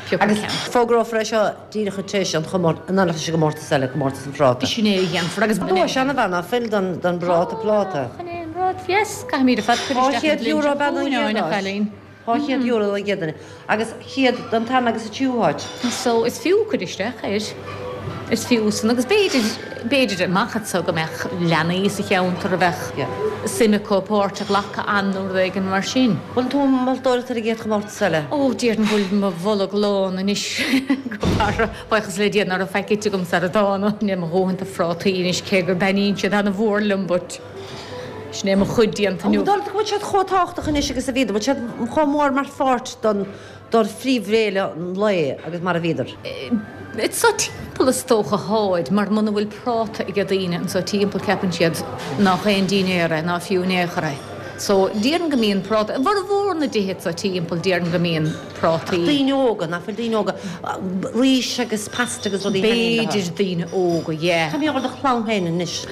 pioc an ceann. Fógrófar é seo díreach tar éis an chomórtais, in éineacht leis an gcomórtas eile, comórtas an phráta. Sin é a dhéanfar agus. Duais an-mhaith ná fuil don bpráta pláta. Chan é an rud, yes, caithfimid ar fad cur isteach an bhliain seo chugainn, a chailín. €200 don gcéad duine agus 100 don tarna agus an tríú háit. So is fiú cur isteach air. Is fiú san agus b'fhéidir, b'fhéidir amach anseo go mbeadh leanaí sa cheantar a bheadh suim acu páirt a ghlacadh ann nó rud éigin mar sin. Bhfuil tú ag moltóireacht ar an gcéad chomórtas eile? Ó, déarfainn go bhfuil mo bholg lán anois go barra. Buíochas le Dia ná raibh faic ite agam sara dtána. Níl mo dhóthain de phrátaí anois cé go dtaitníonn siad ana-mhór liom but. Sin é mo chuid déanta inniu. An bhfuil siad chomh tábhachtach anois agus a bhíodar? Bhfuil siad chomh mór mar pháirt don phríomhbhéile an lae agus mar a bhíodar? Anso timpeall is dócha tháid, mar muna bhfuil práta ag daoine anso timpeall ceapann siad nách aon dinnéar é, ná fiú in aon chor é. So déarfainn go mbíonn práta, i bhformhór na dtithe anso timpeall déarfainn go mbíonn prátaí. Ach daoine óga, nach bhfuil daoine óga, rís agus pasta agus rudaí taitníonn leo. B'fhéidir daoine óga, yeah. Cad a bheadh do chlann féin anois?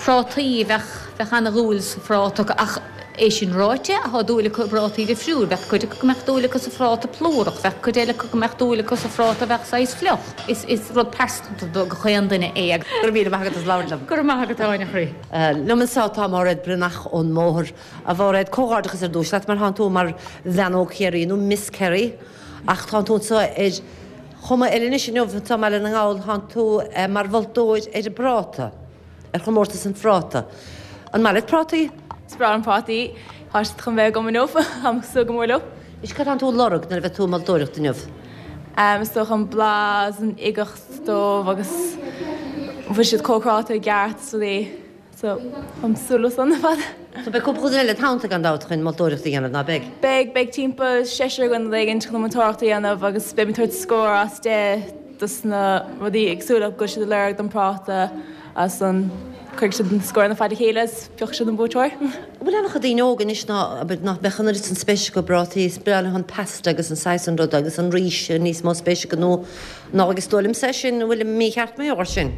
Prátaí, bheadh, bheadh ana-dhúil sa phráta acu ach. É sin ráite, thá dúil acu i bprátaí difriúil. Bheadh cuid acu go mbeadh dúil acu sa phráta plúrach, bheadh cuid eile acu go mbeadh dúil acu sa phráta a bheadh saghas fliuch. Is is rud pearsanta do gach aon duine é. Go raibh míle maith agat as labhairt liom. Go raibh maith agat, Áine, a chroí. Liom anseo tá Máiréad Breathnach ón mBóthar. A Mháiréad, comhghairdeachas ar dtús leat mar thánn tú mar Bhean Óg Chiarraí nó Miss Kerry ach tánn tú anseo ar chuma eile anois inniu anseo i mBaile na nGall, tánn tú mar mholtóir ar an bpráta. ar chomórtas an phráta. An maith leat prátaí? Is breá liom prátaí. Tá siad chun bheith agam inniu. Táim ag súil go mór leo. Anois cad tánn tú ag lorg nuair a bheidh tú ag moltóireacht inniu? Is dócha an blas, an uigeacht dóibh agus an bhfuil siad cócaráilte i gceart is rudaí. So, táim ag súil leo san ar fad. So beidh cúpla duine eile id theannta gan dabht chun moltóireacht a dhéanamh, ná beidh? Beidh, beidh timpeall seisear againn nó rud éigin chun an moltóireacht a dhéanamh agus beidh muid ag tabhairt scór as 10 dos na rudaí éagsúla go bhfuil siad ag lorg don práta agus ansan cuirfidh siad na scóranna ar fad le chéile is piocfaidh siad an buaiteoir. An bhfuil an-chuid daoine óga anois ná, abair, nach mbeadh an oiread san spéis acu i bprátaí, is breá leo an pasta agus an saghas san rud agus an rís níos mó spéis acu nó ná agus is dóigh liomsa é sin, an bhfuilim mícheart mar gheall air sin?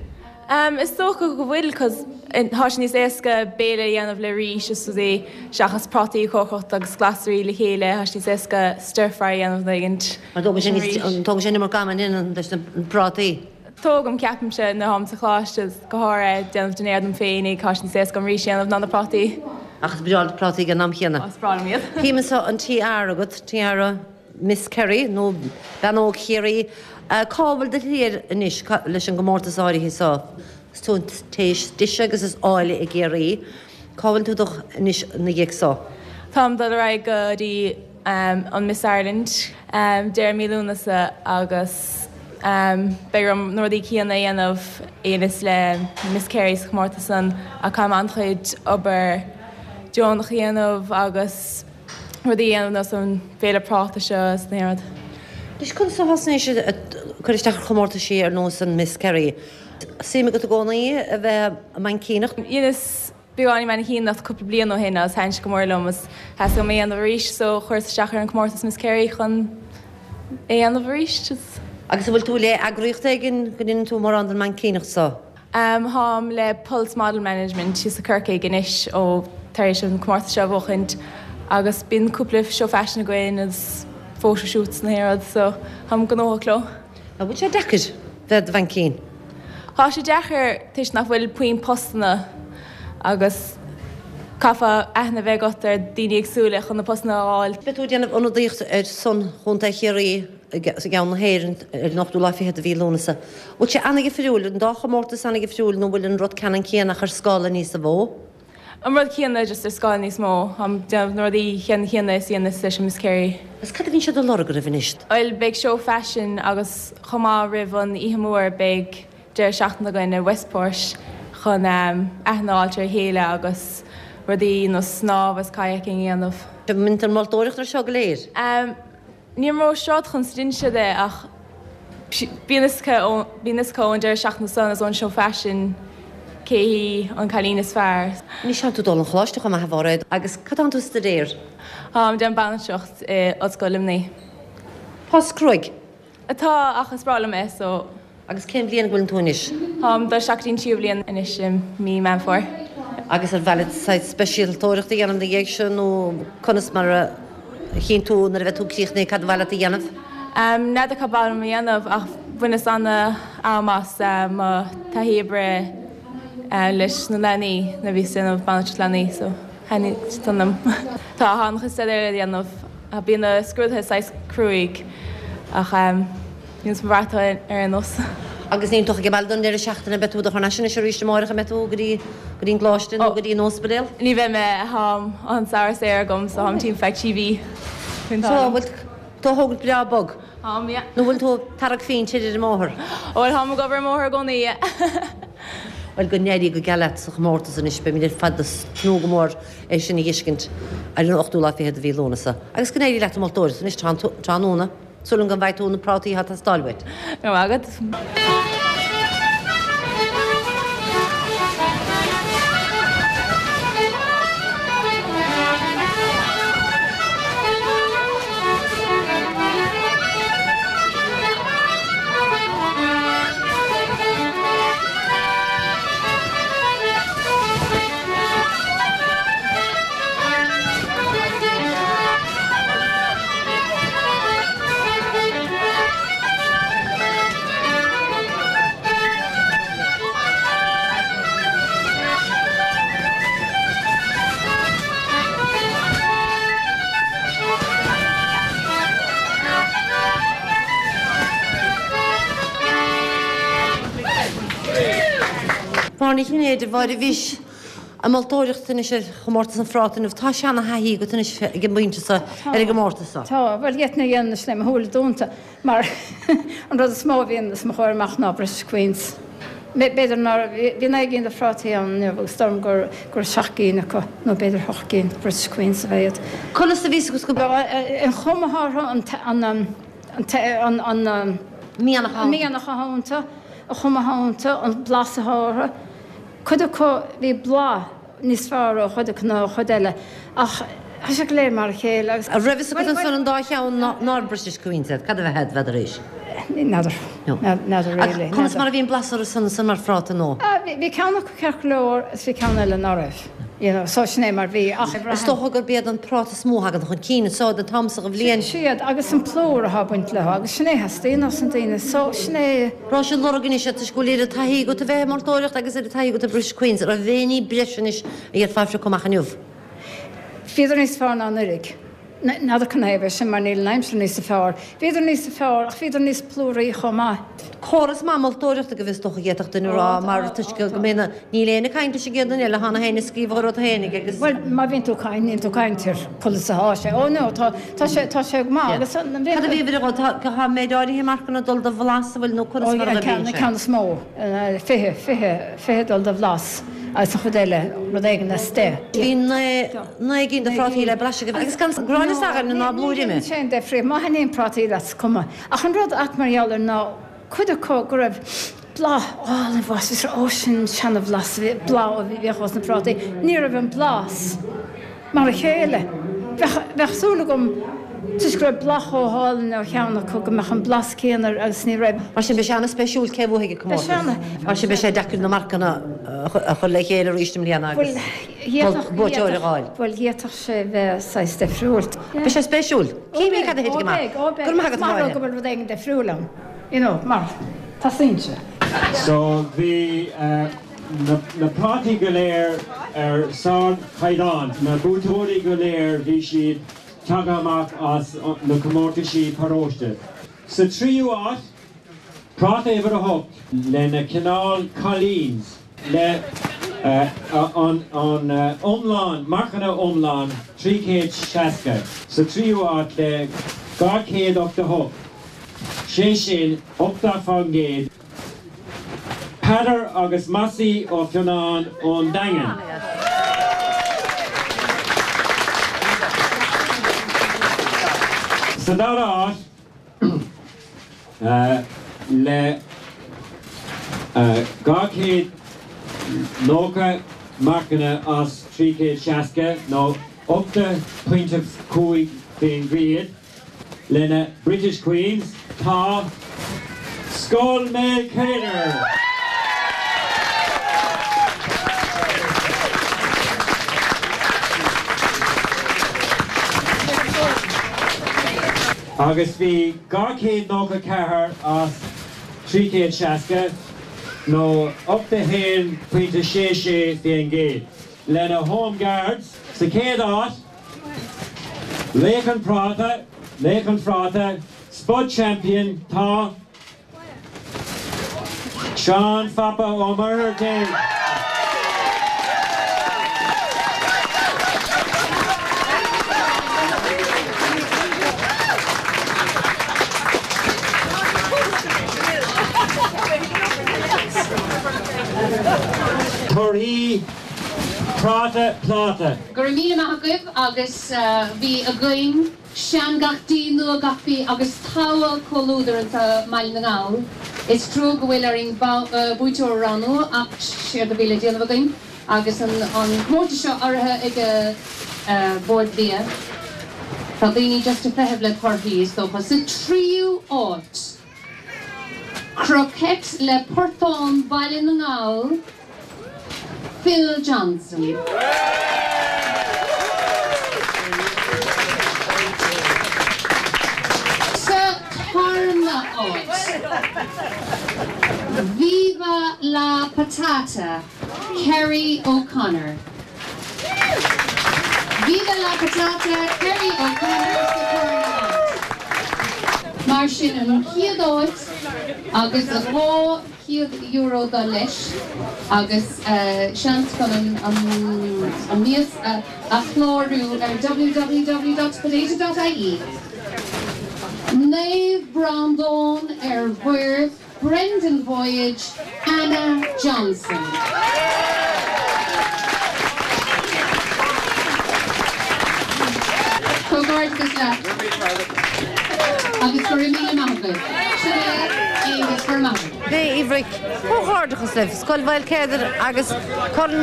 Is dócha go bhfuil 'cause tá sé níos éasca béile a dhéanamh le rís is rudaí seachas prátaí a chócaireacht agus glasraí le chéile, tá sé níos éasca stir fry a dhéanamh nó éigint Mar tógann sé níos, tógann sé an iomarca ama leis na prátaí. Tógaim, ceapaimse, nuair atáim sa choláiste go háirithe ag déanamh dinnéar dom féinig, tá sé níos éasca an rís a dhéanamh ná na prátaí. Ach is breá leat prátaí ag an am chéanna. Is breá liom iad. Tchím anseo an tiara agat, tiara Miss Kerry, nó Bean Óg Chiarraí. Cá bhfuil do shlí air anois leis an gcomórtas áirithe seo? Is tú an té is deise agus is áille i gCiarraí. Cá bhfuil tú dul anois ina dhiaidh seo? Táim dul ar aghaidh go dtí an Miss Ireland deireadh mí Lúnasa agus beidh orm na rudaí céanna a dhéanamh a dheineas le Miss Kerry sa chomórtas san ach caithfidh mé an-chuid obair deonach a dhéanamh agus rudaí a dhéanamh nós an féile práta seo is na rud. Anois conas a thosnaís ag cur isteach ar chomórtaisí ar nós an Miss Kerry? Suim agat i gcónaí a bheith ag maincíneacht? Dheineas beagáinín maincíneacht cúpla bliain ó shin agus thaitin sé go mór liom agus theastaigh uaim é a dhéanamh arís so chuireas isteach ar an comórtas Miss Kerry chun é a dhéanamh arís. Agus an bhfuil tú le eagraíocht éigin go ndéanann tú mórán den maincíneacht so? Táim le Pulse Model Management thíos i Corcaigh anois ó tar éis an comórtas seo a bhuachaint agus bíonn cúpla seó faisin againn agus photo shoots na haon rud so táim gnóthach leo. An bhfuil sé deacair bheith i do mhaincín? Tá sé deacair toisc nach bhfuil puinn postanna agus caithfeá aithne a bheith agat ar daoine éagsúla chun na postanna a fháil. Beidh tú ag déanamh ionadaíocht ar son Chontae Chiarraí i gceann na hÉireann ar an ochtú lá fichead de mhí Lúnasa. Bhfuil sé an-dhifriúil, an dá chomórtas an-dhifriúil nó bhfuil an rud ceannann céanna ach ar scála níosa mhó? An rud céanna just ar scála níos mó. Táim ag déanamh na rudaí ceannann céanna is a dheineas leis an Miss Kerry. Agus cad a bhíonn siad ag lorg oraibh anois? Bhuel beidh seó faisin agus chomh maith roimh an oíche mhór beidh deireadh seachtaine againn i Westport chun aithne a fháilt ar a chéile agus rudaí nós snámh agus kayaking a dhéanamh. An mbíonn tú ag moltóireacht ar seo go léir? Níl mé ró-siúr conas a deineann siad é ach bíonn fhios acu, bíonn fhios acu ón deireadh seachtaine san is ón seó faisin cé hí an cailín is fearr. Anois tánn tú dul 'on choláiste chomh maith a Mháiréad agus cad tánn tú a stuidéar? Táim ag déanamh banaltracht i Ollscoil Luimnigh. Post cruaidh. Atá ach is breá liom é so. Agus cén bhliain a bhfuileann tú anois? Táim ag dul isteach go dtí an tríú bliain anois i mí Meán Fómhair. Agus ar mhaith leat saghas speisialtóireacht a dhéanamh ina dhiaidh sin nó conas mar a chinn tú nuair a bheidh tú críochnaithe cad ba mhaith leat a dhéanamh? N'fheadar cad ba mhaith liom a dhéanamh ach bhaineas ana-am as mo taithí oibre leis na leanaí nuair a bhíos ag déanamh banaltracht leanaí so thaitnigh san liom. Tá an-chuid staidéir le déanamh. Bíonn na scrúduithe saghas cruaidh ach. Níl mé buartha ar aon nós. Agus níl tú ach ag baile don deireadh seachtaine, beidh tú thar n-ais anois arís amáireach, an mbeidh tú go dtí, go dtí an gcoláiste nó go dtí an ospidéal? Ní bheidh mé, tá an samhradh saor agam so táim timpeall feadh 3 mhí faoin So, an bhfuil tú á thógaint breá bog? Táim, yeah. Nó bhfuil tú ag tarrac phingin ar an mbóthar? Bhuel, táim ag obair ar an mbóthar i gcónaí, yeah. Bhuel, go n-éirí go geal leat sa chomórtas anois, beimid ar fad ag tnúth go mór é sin a dh'fheiscint ar an ochtú lá fichead de mhí Lúnasa. Agus go n-éirí leat sa mholtóireacht anois tráthnóna. Súil agam go bhfaighidh tú na prátaí atá ag teastáil uait. Go raibh maith agat. Máire Ní Chinnéide, a Mháire, bhís ag moltóireacht anois ar chomórtas an phráta inniu. Tá seana-thaithí agat anois ag an bpointe seo ar an gcomórtas seo. Tá. Bhuel, d'fhéadfainn é a dhéanamh anois le mo shúile dúnta mar an rud is mó a bhíonn os mo chomhair amach ná British Queens. B'fhéidir nár, bhí 9 gcinn de phrátaí ann inniu agus dóigh liom go raibh 7 gcinn acu nó b'fhéidir 8 gcinn British Queens a bheith iad. Conas a bhí 'fhios agat go. An chuma atá orthu, an, an, an mianach atá iontu, an chuma atá iontu, an blas atá orthu. Cuid acu, bhí blas níos fearr ó chuid acu ná ó chuid eile, ach tá sé go léir mar a chéile agus. An raibh fhios agat ansan an dá cheann nár British Queens iad? Cad a bheadh, bheadar éis? N'fheadar. N'fheadar really. Ach conas mar a bhí an blas orthu san ansan mar phráta nó? Bhí ceann acu ceart go leor is bhí ceann eile ná raibh. You know, so sin é mar bhí ach. Is dócha gurb iad an práta is mó a thagann chun cinn anso den t-am so de bhliain. Sin iad agus an plúr atá ag baint leo agus sin é a theastaíonn ós na daoine so sin é. Raibh sé lorg anois toisc go bhfuil oiread taithí agat a bheith ag moltóireacht agus oiread taithí agat ar British Queens, raibh aon ní breise anois a d'fhéadfá a phiocadh amach inniu? Bhíodar níos fearr ná anuraidh. N'fheadar canathaobh é sin mar níl an aimsir níosa fearr. Bhíodar níosa fearr ach bhíodar níos plúraí chomh maith. Córas maith moltóireachta agaibh is dócha d'fhéadfadh duine a rá mar toisc go mbíonn na, níl éinne ag caint leis an gcéad duine eile, tá na héinne ag scríobh a rud fhéinig agus. Bhuel má bhíonn tú ag caint, níl tú ag caint ar conas atá sé. Ó no, tá, tá sé, tá sé go maith agus an. Cad a bhí a bhí tá, tá méid áirithe marcanna ag dul do bhlas, an bhfuil nó conas mar a bhíonn sé? An ceann is mó, 20, 20, 20 dul do bhlas agus an chuid eile rud éigin as de. Bhí 9 gcinn de phrátaí le blaiseadh agaibh agus gan gráinne s'againne ná blúire ime. Ní dhéanann sé aon difríocht. Má thaitníonn prátaí leat is cuma. Ach an rud at mar gheall air ná cuid acu go raibh blas álainn bhlas is ó sin seana-bhlas a bhí blas a bhíodh ós na prátaí. Ní raibh an blas mar a chéile. Bheadh bheadh súil agam toisc go raibh blas chomh hálainn ó cheann acu go mbeadh an blas céanna air agus ní raibh. Mar sin beidh sé an-spéisiúil cé a bhuafaidh an comórtas. Beidh sé ana. Mar sin beidh sé deacair na marcanna a chur le chéile arís i mbliana agus. Buaiteoir a fháil. Bhuel, d'fhéadfadh sé bheith saghas difriúil. Beidh sé spéisiúil. Cífimid cad a thitfidh amach. Ó beidh, ó beidh. Go raibh maith agat, a Mháire. Go bhfuil rud éigin difriúil ann, you know, mar teastaíonn sé. So bhí na prátaí go léir ar sár-chaighdeán. Na buaiteoirí go léir bhí siad tagtha amach as na comórtaisí paróiste. Sa tríú áit, Práta uimhir a hocht lena cineál Colleen's le an iomlán, marcanna iomlán 360. Sa tríú áit le 288, sé sin 80%, Peadar agus Mossie Ó Fionnáin ón Daingean. Sa dara áit, le 290 marcanna as 360, nó 80.5%, lena British Queens, tá Scoil Maolcéadair! Agus bhí 294 as 360, nó 81.66%, lena Home Guards sa chéad áit, Laoch an Phráta, Laoch an Phráta, Spud Champion, tá. Seán Phapa Ó Muircheartaigh. Torthaí Práta Pláta. Go raibh míle maith agaibh agus bhí againn. Sean gach dí, nua gach bí agus togha comhluadar anseo i mBaile na nGall. Is trua go bhfuil orainn buaiteoir a roghnú ach séard a bhí le déanamh againn agus an comórtas seo urraithe ag Bord Bia. Tá daoine just ag feitheamh le torthaí is dócha. Sa tríú áit, Croquette le Portán Baile na nGall, Phil Johnson. Sa tarna áit, Viva la Patata, Kerry O'Connor. Viva la Patata, Kerry O'Connor sa tarna áit. Mar sin an chéad áit agus 200. €200 dul leis agus seans chun an mias a chlárú ar www.potato.ie. Naomh Breandán ar Mhuir Brendan Voyage, Anna Johnson. Comhghairdeachas leat agus go raibh míle maith agat. Sinéad, Aonghus, go raibh maith agat. Uí Bhric, Comhghairdeachas libh, Scoil Mhaoilchéadair agus Corn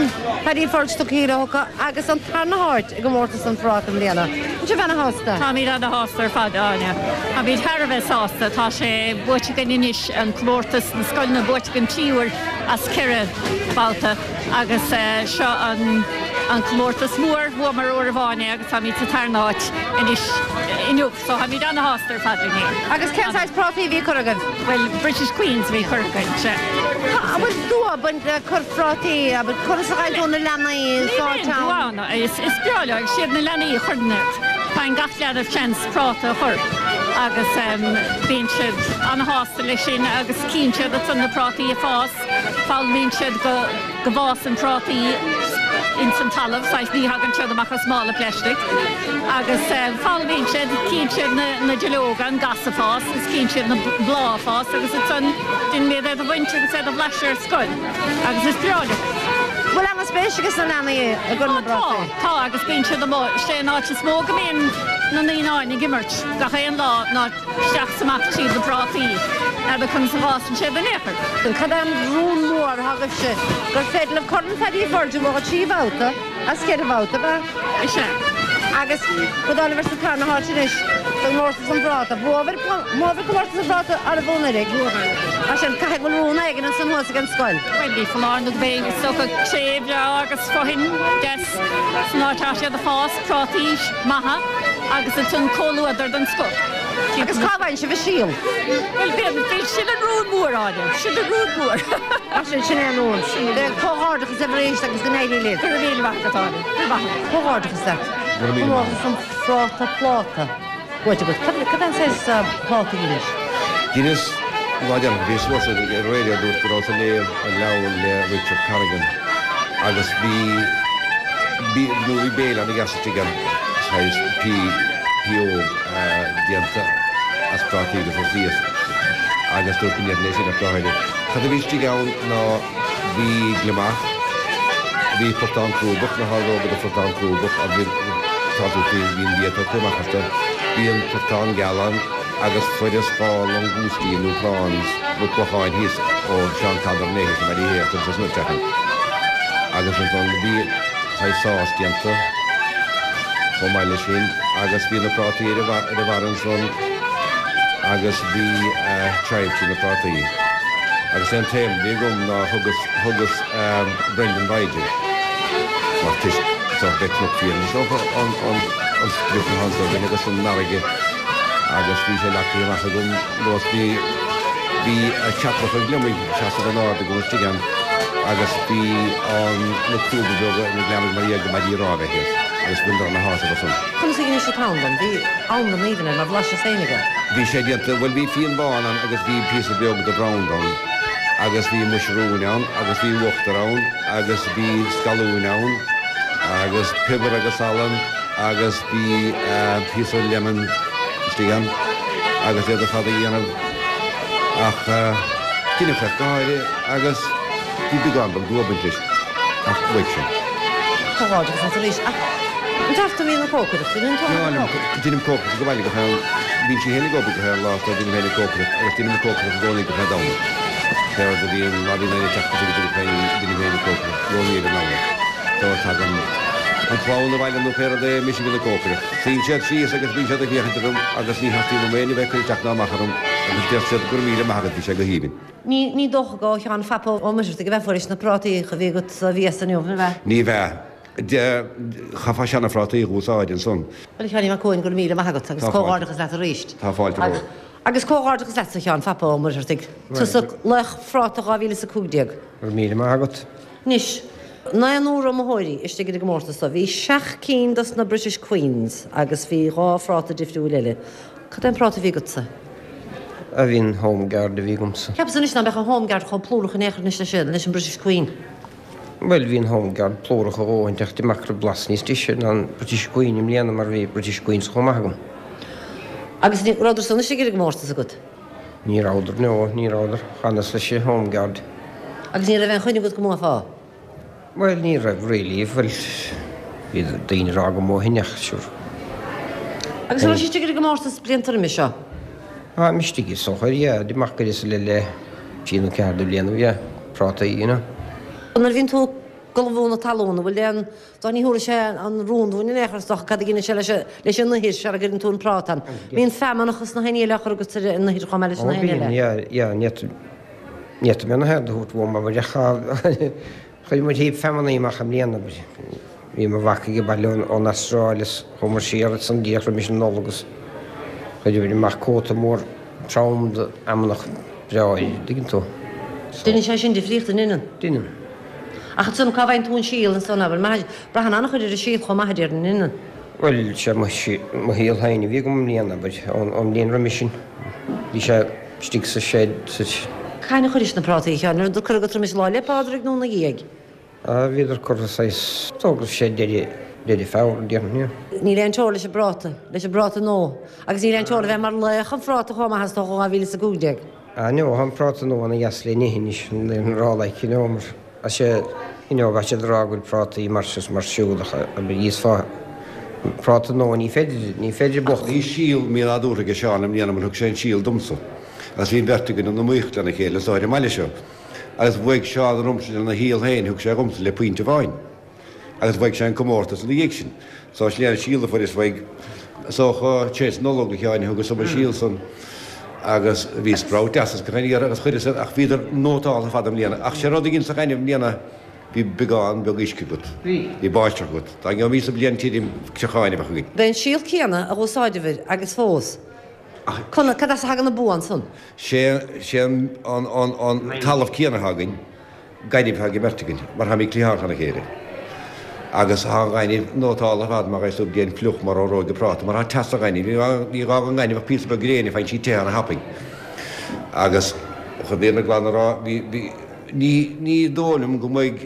Paddy Furch tugtha acu agus an tarna háit i gcomórtas an phráta i mbliana. An sibh ana-shásta? Táimid ana-shásta ar fad, Áine. Táimid thar a bheith sásta. Tá sé buaite againn anois, an comórtas na scoileanna buaite againn 3 uair as 4 babhta agus seo an an comórtas mór. Bhuamar uair amháin é agus táimid sa tarna háit anois inniu. So táimid ana-shásta ar fad linn fhéin. Agus cén saghas prátaí a bhí curtha agaibh? Bhuel, British Queens a bhí curtha againn, sea. An bhfuil dua ag baint le cur prátaí, abair, conas a fhaigheann tú na leanaí sáite ann? Níl aon dua ann, is breá leo, is iad na leanaí a chuireann iad. Faigheann gach leanbh seans práta a chur agus bíonn siad ana-shásta leis sin agus cíonn siad ansan na prátaí ag fás, foghlaimíonn siad go. go bhfásann prátaí ins an talamh, saghas ní thagann siad amach as mála pleaistic, agus foghlaimíonn siad, cíonn siad na duilleoga, an gas ag fás agus cíonn siad na bláth ag fás agus ansan déanaimid iad a bhaint agus iad a bhlaiseadh ar scoil agus is breá leo. Bhfuil ana-spéis ages na leanaí i gcur na bprátaí? Tá, tá agus bíonn siad amuigh, sé an áit is mó go mbíonn na naíonáin ag imirt gach aon lá ná isteach is amach tríd na prátaí, n'fheadar conas a bhfásann siad in aon chor. Cad é an rún mór atá agaibhse gur féidir libh Corn Phaddy Furch a bhuachan 3 bhabhta as 4 bhabhta, ab ea? Is ea. Agus go dtáinig sibh sa tarna háit anois sa gcomórtas an phráta. Bhuabhair comórtas an phráta arbh anuraidh? Bhuabhair. Mar sin, caithfidh go bhfuil rún éigin ansan thuas ag an scoil. Bhuel, ní foláir nó go mbeidh, is dócha, cré bhreá agus fothain deas san áit atá siad ag fás, prátaí maithe agus ansan comhluadar den scoth. Agus cá bhfaigheann sibh an síol? Bhuel, bíonn, bíonn, sin an rún mór, Áine, sin an rún mór. Mar sin, sin é an rún. Comhghairdeachas libh arís agus go n-éirí libh. Go raibh míle maith agat, Áine. Go raibh maith agat. Comhghairdeachas leat. Go raibh míle maith agat. Comórtas an phráta pláta buaite agat. Cad, cad é an saghas pláta a dheinis? Dheineas, an lá deireanach, bhíos thuas ar an raidió dúirt go rabhas ag léamh an leabhar le Richard Corrigan agus bhí, bhí, nó bhí béile ana-dheas istigh ann, saghas pí, pióg. déanta as prátaí agus as iasc agus dúirt go ndéanfainn é sin ach go háirithe. Cad a bhí istigh ann ná bhí gliomach, bhí portán crúbach, na hordóga de phortán crúbach agus tá tú faoi, bhí an bia tugtha amach astu, bhí an portán geal ann agus fuaireas 2 langoustine nó prawns nó clocháin thíos ó Seán Conor Né thíos i mBaile Uí Shéaghdha agus isteach ann agus ansan bhí saghas sás déanta. Chomh maith leis sin, agus bhí na prátaí ar a bharr ansan agus bhí chives trí na prátaí. Agus é an t-ainm a bhí agam ná thugas, thugas Brendan Voyage air. Mar toisc is dócha b'é Cnoc Fiann is dócha an, an, an sprioc atá anso againn agus an fharraige agus bhí sé leagtha amach agam nós bhí, bhí ceathracha gliomaigh seasamh in ard agam istigh ann agus bhí an, na crúba beaga ina gliomaigh mar gheall go maidí rámha thíos agus bhíodar ana shásamh ansan. Conas a dheinis an t-anlann? Bhí anlann aoibhinn air mar bhlaiseas féinig é. Bhí sé déanta, bhuel bhí fíon bán ann agus bhí píosa beag de brand ann agus bhí muisiriúin ann agus bhí uachtar ann agus bhí scallúin ann agus piobar agus salann agus bhí píosa lemon istigh ann agus iad ar fad a dhéanamh ach deineadh ach go háirithe agus bhí beagán beag dua ag baint leis ach bhuaigh sé. Comhghairdeachas leat arís ach an dteach tú a mbíonn an cócaireacht? An ndéanann tú an cócaireacht? Deinim cócaireacht ag baile gach aon, bíonn sí féin ag obair gach aon lá so deinim féin an cócaireacht agus deinim an cócaireacht i gcónaí gach aon Domhnach. Pé rud a bhíonn, má bhíonn éinne ag teacht go deinim féin deinim féin an cócaireacht i gcónaí ar an Domhnach. So tagann an chlann abhaile nó pé rud é, mise a bhíonn ag cócaireacht. Suíonn siad síos agus bíonn siad ag féachaint orm agus ní theastaíonn uaim éinne a bheith ag cur isteach ná amach orm agus deir siad go raibh míle maith agat, bhí sé go haoibhinn. Ní, ní dócha go ó Sheán Phapa Ó Muircheartaigh a bheith fuairis na prátaí a bhí agat sa mhias inniu, an bhea? Ní bhea. Chaithfeá seana-phrátaí a dh'úsáid ansan. Bhuel, a Sheáinín Mac Cumhainn, go raibh míle maith agat agus Tá fáilte. comhghairdeachas leat arís. Tá fáilte romhat. Agus comhghairdeachas leatsa, a Sheáin Phapa Ó Muircheartaigh. Tusa laoch phráta 2015. Go raibh míle maith agat. Anois, naonúr iomaitheoirí istigh ar an gcomórtas so. Bhí seacht cinn dos na British Queens agus bhí dhá phráta difriúil eile. Cad é an práta a bhí agatsa? A bhí an Home Guard a bhí agamsa. Cheapas anois ná beadh an Home Guard chomh plúrach in aon chor anois leis an British Queen. Bhuel, bhí an Home Guard plúrach a dhóthaint ach d'imigh go raibh blas níos deise ná an British Queen i mbliana mar bhí British Queens chomh maith agam. Agus ní rabhadar san istigh ar an gcomórtas agat? Ní rabhadar, no, ní rabhadar. Chanas leis an Home Guard. Agus ní raibh aon choinne agat go mbuafá? Bhuel, ní raibh really, bhuel, bhí daoine ag rá go mbuafainn ach sure. Agus an raibh sé istigh ar an gcomórtas blianta roimis seo? Táim istigh is dócha, yeah, d'imigh go le le trí nó ceathair de bhliana, yeah, prátaí, you know. Nuair a bhíonn tú ag ullmhú na talún, an bhfuil aon, dá ní thabharfaidh sé an rún dúinn in aon chor is dócha cad a dhéanann sé leis leis an ithir sara gcuireann tú an práta ann. Bíonn feamnach is na haon ní eile á chur agat ar an ithir chomh maith leis na Ó haon ní bíonn, eile. yeah, yeah, ní Ní fhéadfaidh mé na haird a thabhairt uaim abair ach chuir muid heap feamnaí amach i mbliana abair. Bhí mo mhac ag baile ón Astráil is chuamar siar ansan díreach roimis an Nollaig agus chuir muid amach cóta mór trom d'fheamnach breá an dtuigeann tú. Deineann sé sin difríocht, an ndeineann? Deineann. Ach ansan cá bhfaigheann tú an síol ansan abair? Braitheann an-chuid ar an síol chomh maith a déarfainn, an ndeineann? Bhuel, sé mo shíol féin a bhí agam i mbliana, abair, ón mbliain roimis sin. Bhí sé istigh sa shed sa. Cathain a chuiris na prátaí, a Sheáin? An rabhadar curtha agat roimis Lá 'le Pádraig nó ina dhiaidh? Ah, bhíodar curtha saghas, is dóigh go raibh sé deireadh, deireadh Feabhra, déarfainn, yeah. Níl aon teora leis an bpráta, leis an bpráta nua. Agus níl aon teora a bheith mar laoch an phráta chomh maith is dócha 2015. Ah, no, tá an práta nua ana dheas le n-ithe anois, an rá like, you know, mar. Tá sé, you know, bheadh siad ag rá go bhfuil prátaí mar seo is mar siúd ach abair íosfá práta nua ní féidir, ní féidir Ach bhí síol mí-nádúrtha aige Seán i mbliana mar thug sé an síol domsa agus bhí an bheirt againn in iomaíocht lena chéile is ar an mbaile seo agus bhuaigh Seán ormsa lena shíol féin, thug sé dhomsa le pointe amháin agus bhuaigh sé an comórtas ina dhiaidh sin. So sin é an síol a fuaireas uaidh. Is dócha tar éis Nollag a Sheáin a thugas dom an síol san agus bhí sprout deas as gach aon iarraidh agus chuireas iad ach bhíodar nótáltha fada i mbliana. Ach sé rud a dhein sa ghaineamh i mbliana bhí beagán beag uisce agat. Bhí. Bhí báisteach agat. Dá ngeobhaimis bliain tirim creacháin a bheadh againn. B'é an síol céanna a dh'úsáideabhair agus fós. Conas, cad as a thagann an bua ansan? Sé, sé an, an, an, an talamh céanna atá againn. Gaineamh atá ag an mbeirt againn, mar táimid cliathánach lena chéile. Agus tá an ghaineamh nótáltha ar fad mar is tú déan fliuch mar fhóróig an práta, mar tá teas sa ghaineamh. Ní gá don ghaineamh ach píosa beag gréine, faigheann sí te ana-thapaidh. Agus chun an fhírinne glan a rá, bhí, bhí, ní, ní dóigh liom go mbeidh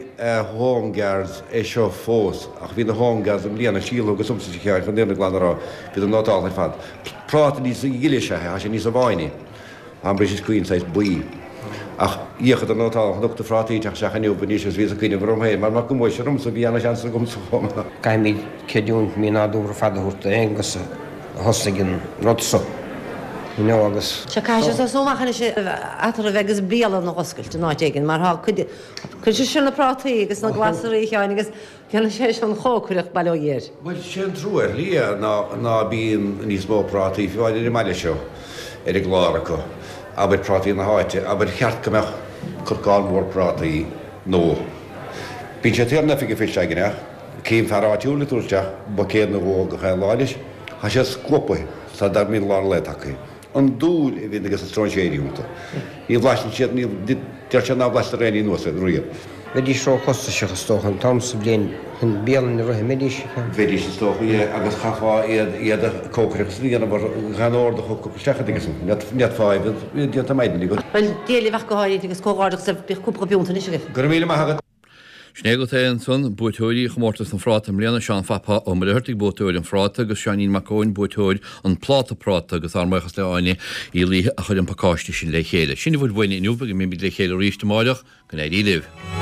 Home Guards é seo fós, ach bhí na Home Guards i mbliana, síol a thugas domsa a Sheáin, chun an fhírinne glan a rá, bhíodar nótáltha ar fad. Práta níos gile is ea é, tá sé níosa bháine. An British Queen saghas buí. Ach d'fhéachadar nótáltha chonac na phrátaí ag teacht isteach inniu anois agus bhíos ag cuimhneamh orm féin mar go mbuafaidh sé ormsa bhí ana-sheans agamsa chomh maith. Caithfimid creidiúint mí-nádúrtha fada a thabhairt d'Aonghus a thosaigh an rud so, you know, agus. Sea, caithfidh sé tosú amach anois eatarthu agus bialann a dh'oscailt in áit éigin mar tá cuid, cuid de sin na prátaí agus na glasraí a Sheáin agus Déanfaidh sé sin an chócaireacht, bail ó Dhia air. Bhuel, sé an trua ar shlí é ná ná bíonn níos mó prátaí, fiú amháin ar an mbaile seo, ar an gclár acu. Abair prátaí na háite, abair cheart go mbeadh corcán mór prátaí nó. Bíonn sé saor in Oifig an Phoist againn ach cím fear áitiúil ag tabhairt isteach buicéad nó dhó gach aon lá leis. Tá sé scuabtha sara mbíonn lár an lae tagtha. An dúil a bhíonn aige na stróinséirí iontu. Ní bhlaiseann siad, ní, deir siad nár bhlaiseadar aon ní nua riamh. Bheidís ró-chostasach is dócha an t-am sa bhliain chun bialann a rith, an mbeidís? Bheidís is dócha, yeah, agus chaithfeá iad, iad a cócaireacht is a dhéanamh ar gan ord a thiocfadh isteach an dtuigeann tú. Ní fhéadfá iad a bheith déanta maidin agat. Bhuel, Dia libh ach go háirithe agus comhghairdeachas libh, bíodh cúpla piúnt anois agaibh. Go raibh míle maith agat. Sin é agat é ansan, buaiteoirí chomórtas an phráta i mbliana, Seán Phapa Ó Muircheartaigh, buaiteoir an phráta, agus Seáinín Mac Eoin, buaiteoir an phláta práta, agus ár mbuíochas le Áine Uí Laoithe a chuir an pacáiste sin le chéile. Sin a bhfuil uainn inniu, go mbeimid le chéile arís amáireach, go n-éirí libh.